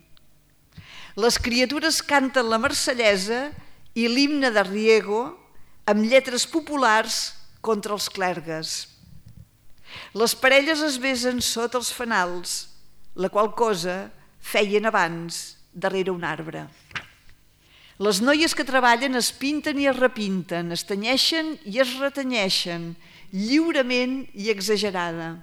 Les criatures canten la marsellesa i l'himne de Riego amb lletres populars contra els clergues. Les parelles es besen sota els fanals, la qual cosa feien abans darrere un arbre. Les noies que treballen es pinten i es repinten, es tenyeixen i es retanyeixen, lliurement i exagerada.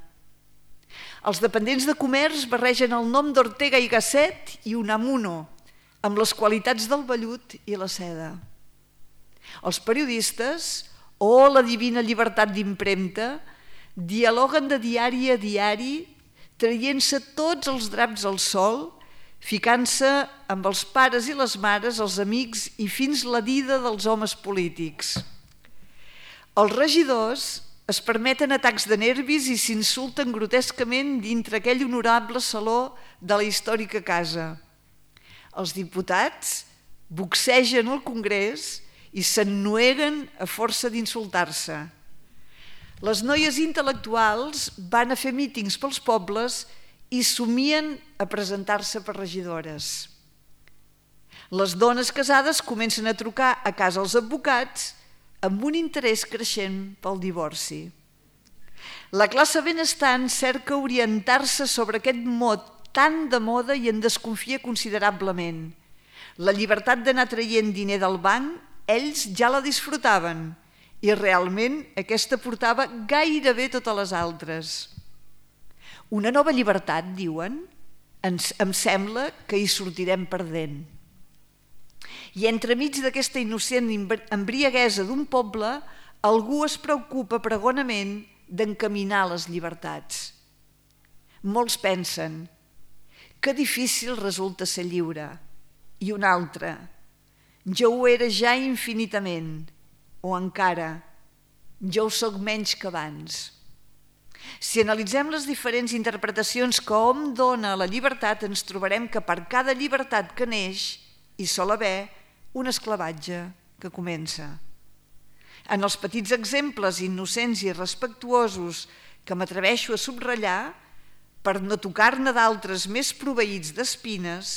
Els dependents de comerç barregen el nom d'Ortega y Gasset i Unamuno amb les qualitats del vellut i la seda. Els periodistes, la divina llibertat d'impremta, dialoguen de diari a diari, traient-se tots els draps al sol, ficant-se amb els pares i les mares, els amics i fins la dida dels homes polítics. Els regidors es permeten atacs de nervis i s'insulten grotescament dintre aquell honorable saló de la històrica casa. Els diputats boxegen al Congrés i s'ennueguen a força d'insultar-se. Les noies intel·lectuals van a fer mítings pels pobles i somien a presentar-se per regidores. Les dones casades comencen a trucar a casa als advocats amb un interès creixent pel divorci. La classe benestant cerca orientar-se sobre aquest mot tan de moda i en desconfia considerablement. La llibertat d'anar traient diner del banc, ells ja la disfrutaven i realment aquesta portava gairebé totes les altres. Una nova llibertat, diuen? Em sembla que hi sortirem perdent. I entremig d'aquesta innocent embriaguesa d'un poble, algú es preocupa pregonament d'encaminar les llibertats. Molts pensen que difícil resulta ser lliure. I un altre, jo ho era ja infinitament, o encara, jo ho soc menys que abans. Si analitzem les diferents interpretacions que hom dona a la llibertat, ens trobarem que per cada llibertat que neix hi sol haver un esclavatge que comença. En els petits exemples innocents i respectuosos que m'atreveixo a subratllar, per no tocar-ne d'altres més proveïts d'espines,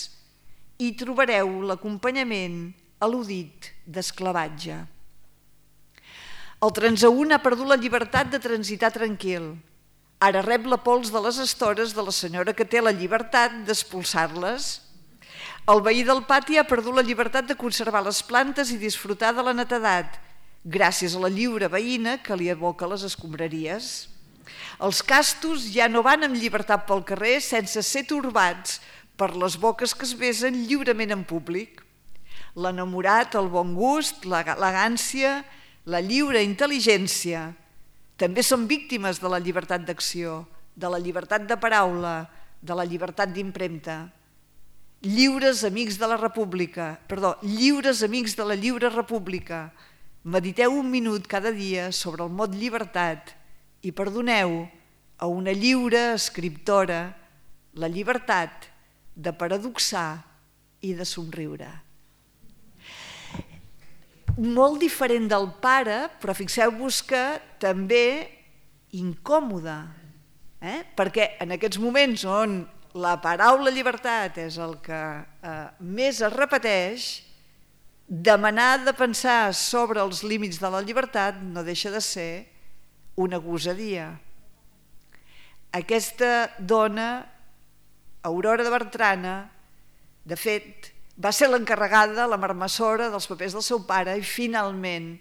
hi trobareu l'acompanyament al·ludit d'esclavatge. El transeünt ha perdut la llibertat de transitar tranquil. Ara rep la pols de les estores de la senyora que té la llibertat d'expulsar-les. El veí del pati ha perdut la llibertat de conservar les plantes i disfrutar de la netedat, gràcies a la lliure veïna que li aboca les escombraries. Els castos ja no van amb llibertat pel carrer sense ser torbats per les boques que es besen lliurement en públic. L'enamorat, el bon gust, l'elegància, la lliure intel·ligència també són víctimes de la llibertat d'acció, de la llibertat de paraula, de la llibertat d'impremta. Lliures amics de la República, lliures amics de la lliure república, mediteu un minut cada dia sobre el mot llibertat i perdoneu a una lliure escriptora la llibertat de paradoxar i de somriure. Molt diferent del pare, però fixeu-vos que també incòmode, perquè en aquests moments on la paraula llibertat és el que més es repeteix, demanar de pensar sobre els límits de la llibertat no deixa de ser una gosadia. Aquesta dona, Aurora de Bertrana, de fet, va ser l'encarregada, la marmessora dels papers del seu pare i finalment,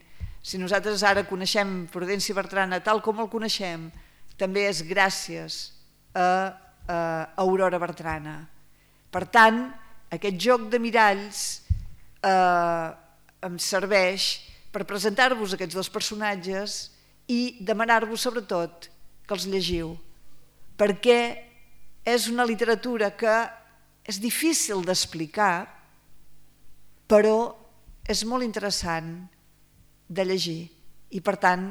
si nosaltres ara coneixem Prudenci Bertrana tal com el coneixem, també és gràcies a Aurora Bertrana. Per tant, aquest joc de miralls em serveix per presentar-vos aquests dos personatges i demanar-vos sobretot que els llegiu, perquè és una literatura que és difícil d'explicar, però és molt interessant de llegir i, per tant,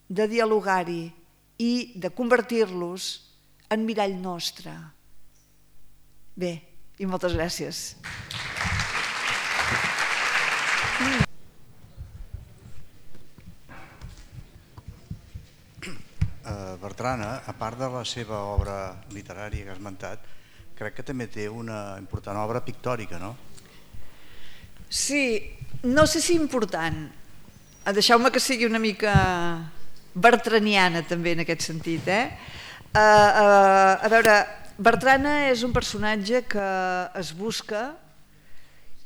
de dialogar-hi i de convertir-los en mirall nostre. Bé, i moltes gràcies. Bertrana, a part de la seva obra literària que has esmentat, crec que també té una important obra pictòrica, no? Sí, no sé si important. Deixeu-me que sigui una mica bertraniana també en aquest sentit. A veure, Bertrana és un personatge que es busca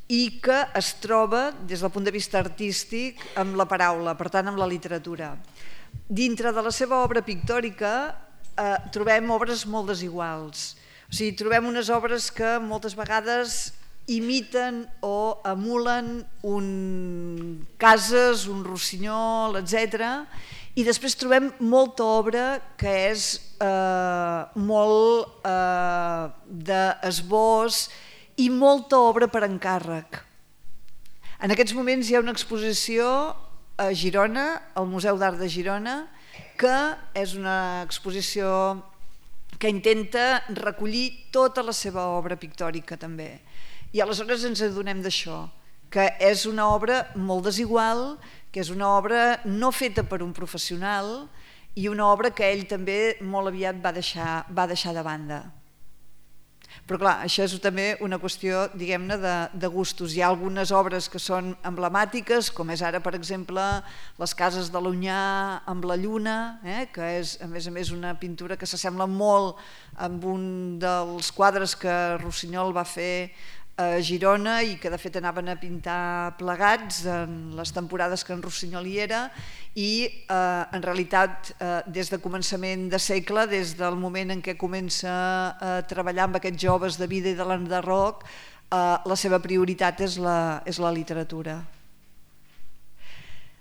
i que es troba, des del punt de vista artístic, amb la paraula, per tant, amb la literatura. Dintre de la seva obra pictòrica trobem obres molt desiguals. O sigui, trobem unes obres que moltes vegades imiten o emulen cases, un rossinyol, etc. I després trobem molta obra que és molt d'esbós i molta obra per encàrrec. En aquests moments hi ha una exposició a Girona, al Museu d'Art de Girona, que és una exposició que intenta recollir tota la seva obra pictòrica també. I aleshores ens adonem d'això, que és una obra molt desigual, que és una obra no feta per un professional i una obra que ell també molt aviat va deixar de banda. Però clar, això és també una qüestió, diguem-ne, de gustos. Hi ha algunes obres que són emblemàtiques, com és ara, per exemple, les cases de l'Onyar amb la lluna, que és, a més, una pintura que s'assembla molt amb un dels quadres que Rossinyol va fer a Girona i que de fet anaven a pintar plegats en les temporades que en Rossinyol hi era, i en realitat des de començament de segle, des del moment en què comença a treballar amb aquests joves de vida i de l'enderroc, la seva prioritat és la literatura.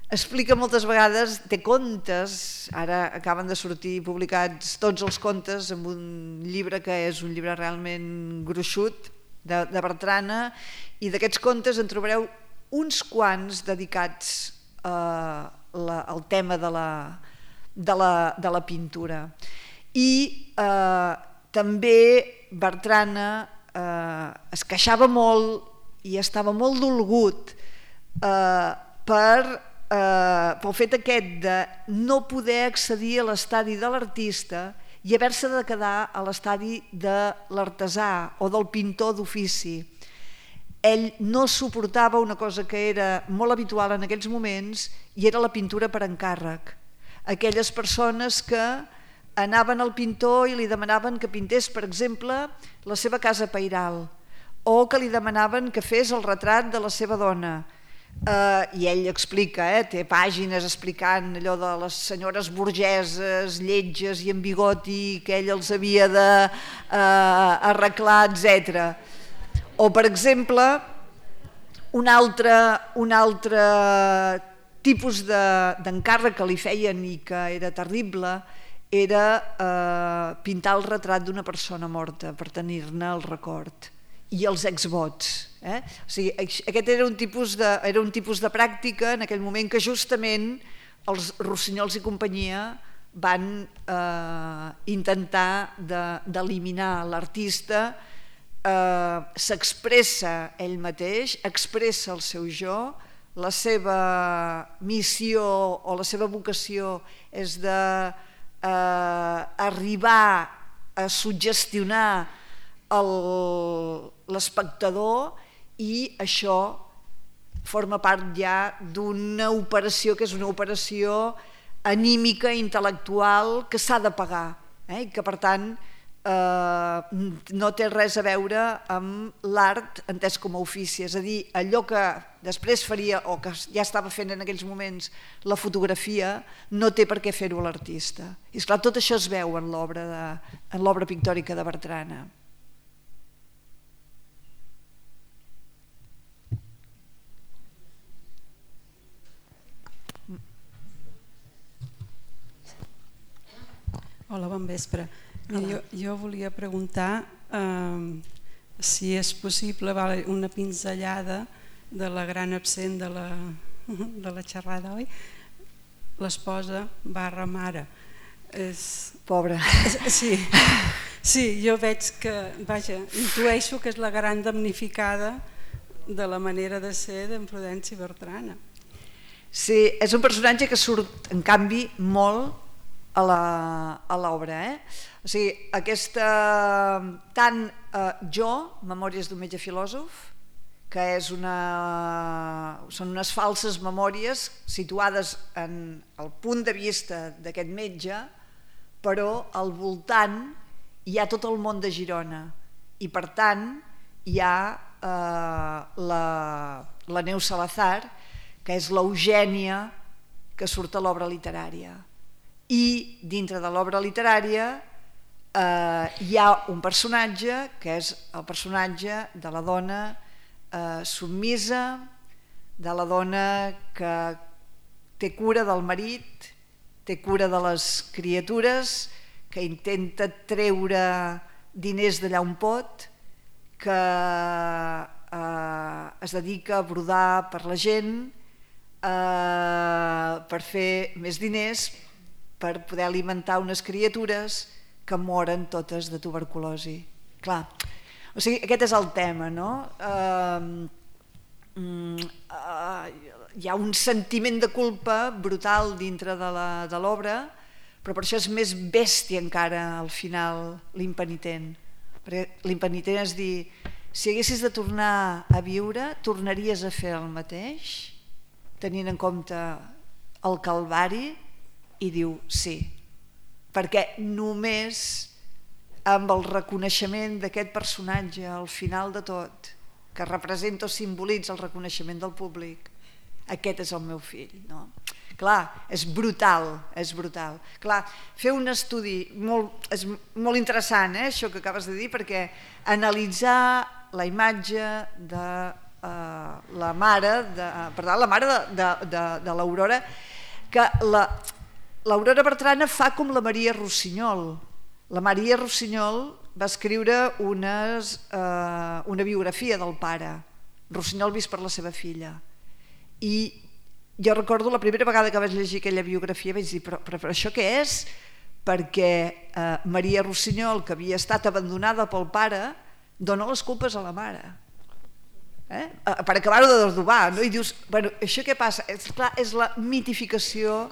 Explica moltes vegades, té contes, ara acaben de sortir publicats tots els contes en un llibre que és un llibre realment gruixut, de Bertrana, i d'aquests contes en trobareu uns quants dedicats al tema de la pintura. I també Bertrana es queixava molt i estava molt dolgut pel fet aquest de no poder accedir a l'estadi de l'artista i haver-se de quedar a l'estadi de l'artesà o del pintor d'ofici. Ell no suportava una cosa que era molt habitual en aquells moments i era la pintura per encàrrec. Aquelles persones que anaven al pintor i li demanaven que pintés, per exemple, la seva casa pairal, o que li demanaven que fes el retrat de la seva dona. I ell explica, té pàgines explicant allò de les senyores burgeses, lletges i amb bigoti que ell els havia d'arreglar, etc. O, per exemple, un altre tipus d'encàrrec que li feien i que era terrible era pintar el retrat d'una persona morta per tenir-ne el record, i els exvots. O sigui, aquest era un tipus de pràctica en aquell moment que justament els Rossinyols i companyia van intentar d'eliminar. L'artista s'expressa ell mateix, expressa el seu jo, la seva missió o la seva vocació és d'arribar a suggestionar l'espectador, i això forma part ja d'una operació que és una operació anímica, intel·lectual, que s'ha de pagar, i que per tant no té res a veure amb l'art entès com a ofici, és a dir, allò que després faria o que ja estava fent en aquells moments la fotografia no té per què fer-ho l'artista. I esclar, tot això es veu en l'obra pictòrica de Bertrana. Hola, bon vespre. Jo volia preguntar si és possible una pinzellada de la gran absent de la xerrada, oi? L'esposa barra mare. Pobra. Sí, jo veig que, intueixo que és la gran damnificada de la manera de ser d'en Prudenci Bertrana. Sí, és un personatge que surt, en canvi, molt a l'obra. O sigui, tant Jo, Memòries d'un metge filòsof, que són unes falses memòries situades en el punt de vista d'aquest metge, però al voltant hi ha tot el món de Girona i per tant hi ha la Neus Salazar, que és l'Eugènia que surt a l'obra literària, i dintre de l'obra literària hi ha un personatge que és el personatge de la dona submisa, de la dona que té cura del marit, té cura de les criatures, que intenta treure diners d'allà on pot, que es dedica a brodar per la gent, per fer més diners, per poder alimentar unes criatures que moren totes de tuberculosi. Clar, o sigui, aquest és el tema, no? Hi ha un sentiment de culpa brutal dintre de l'obra, però per això és més bèstia encara al final l'impenitent. Perquè l'impenitent és dir, si haguessis de tornar a viure, tornaries a fer el mateix, tenint en compte el calvari, i diu sí, perquè només amb el reconeixement d'aquest personatge al final de tot, que representa o simbolitza el reconeixement del públic, aquest és el meu fill, no? Clar, és brutal, és brutal. Clar, fer un estudi és molt interessant, això que acabes de dir, perquè analitzar la imatge de la mare de l'Aurora, que l'Aurora Bertrana fa com la Maria Rossinyol. La Maria Rossinyol va escriure una biografia del pare, Rossinyol vist per la seva filla, i jo recordo la primera vegada que vaig llegir aquella biografia vaig dir, però això què és? Perquè Maria Rossinyol, que havia estat abandonada pel pare, dona les culpes a la mare per acabar-ho de desdobar, no? I dius, bueno, això què passa? És la mitificació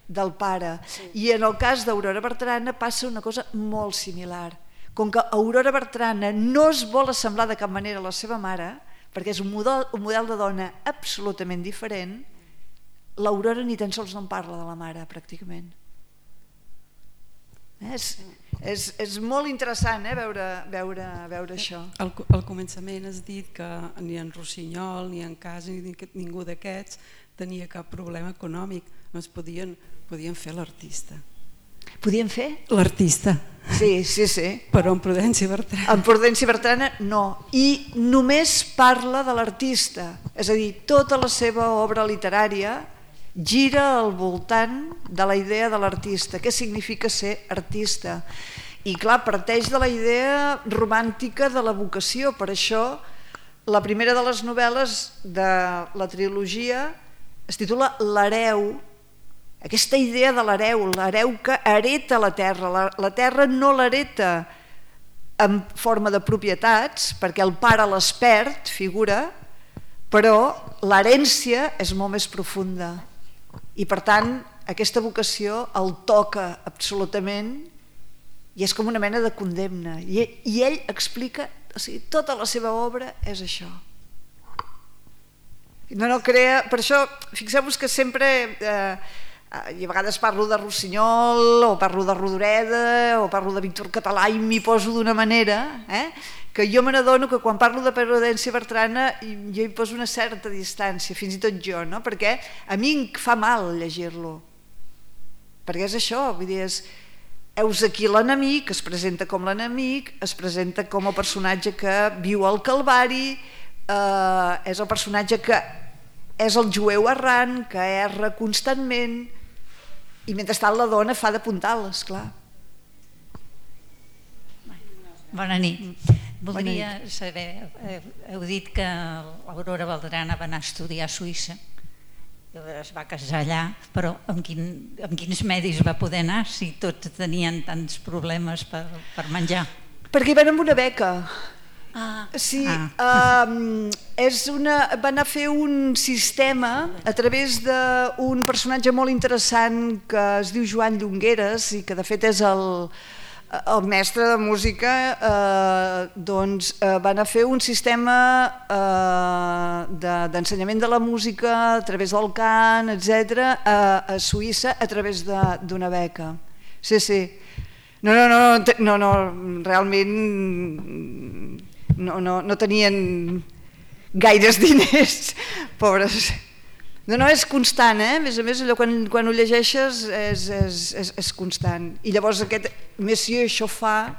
del pare. I en el cas d'Aurora Bertrana passa una cosa molt similar. Com que Aurora Bertrana no es vol assemblar de cap manera a la seva mare, perquè és un model de dona absolutament diferent, l'Aurora ni tan sols no en parla de la mare, pràcticament. És molt interessant veure això. Al començament has dit que ni en Rossinyol, ni en Cas, ni ningú d'aquests tenia cap problema econòmic. No es podien fer l'artista. Podien fer? L'artista. Sí. Però en Prudència Bertrana. En Prudència Bertrana no. I només parla de l'artista. És a dir, tota la seva obra literària gira al voltant de la idea de l'artista. Què significa ser artista? I clar, parteix de la idea romàntica de la vocació. Per això la primera de les novel·les de la trilogia es titula L'hereu. Aquesta idea de l'hereu que hereta la terra. La terra no l'hereta en forma de propietats, perquè el pare les perd, figura, però l'herència és molt més profunda. I per tant, aquesta vocació el toca absolutament i és com una mena de condemna. I ell explica, o sigui, tota la seva obra és això. No crea, per això, fixeu-vos que sempre, i a vegades parlo de Rossinyol, o parlo de Rodoreda, o parlo de Víctor Català i m'hi poso d'una manera, que jo me n'adono que quan parlo de Prudència Bertrana jo hi poso una certa distància, fins i tot jo, no? Perquè a mi em fa mal llegir-lo, perquè és això, vull dir, heus aquí l'enemic, es presenta com l'enemic, es presenta com el personatge que viu al Calvari, és el personatge que és el jueu errant, que erra constantment, i mentrestant la dona fa de puntal, esclar. Bona nit. Voldria saber, heu dit que l'Aurora Bertrana va anar a estudiar a Suïssa, es va casar allà, però amb quins medis va poder anar si tots tenien tants problemes per menjar? Perquè van amb una beca. Sí, va anar a fer un sistema a través d'un personatge molt interessant que es diu Joan Llongueres i que de fet és el mestre de música, doncs va anar a fer un sistema d'ensenyament de la música a través del cant, etc., a Suïssa a través d'una beca. Sí. No, realment no tenien gaires diners, pobres. No, és constant, a més, allò quan ho llegeixes és constant. I llavors aquest Monsieur Chauffat,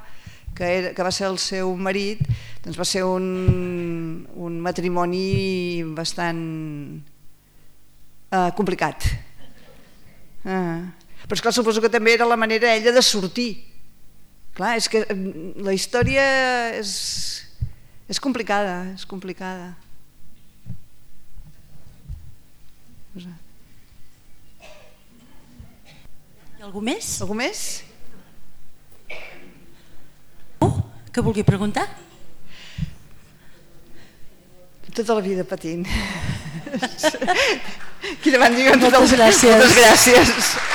que va ser el seu marit, doncs va ser un matrimoni bastant complicat. Però esclar, suposo que també era la manera ella de sortir. Clar, és que la història és complicada, és complicada. Hi ha algú més? Algú més? Que vulgui preguntar? Tota la vida patint. Quina van dir? Moltes gràcies. Moltes gràcies.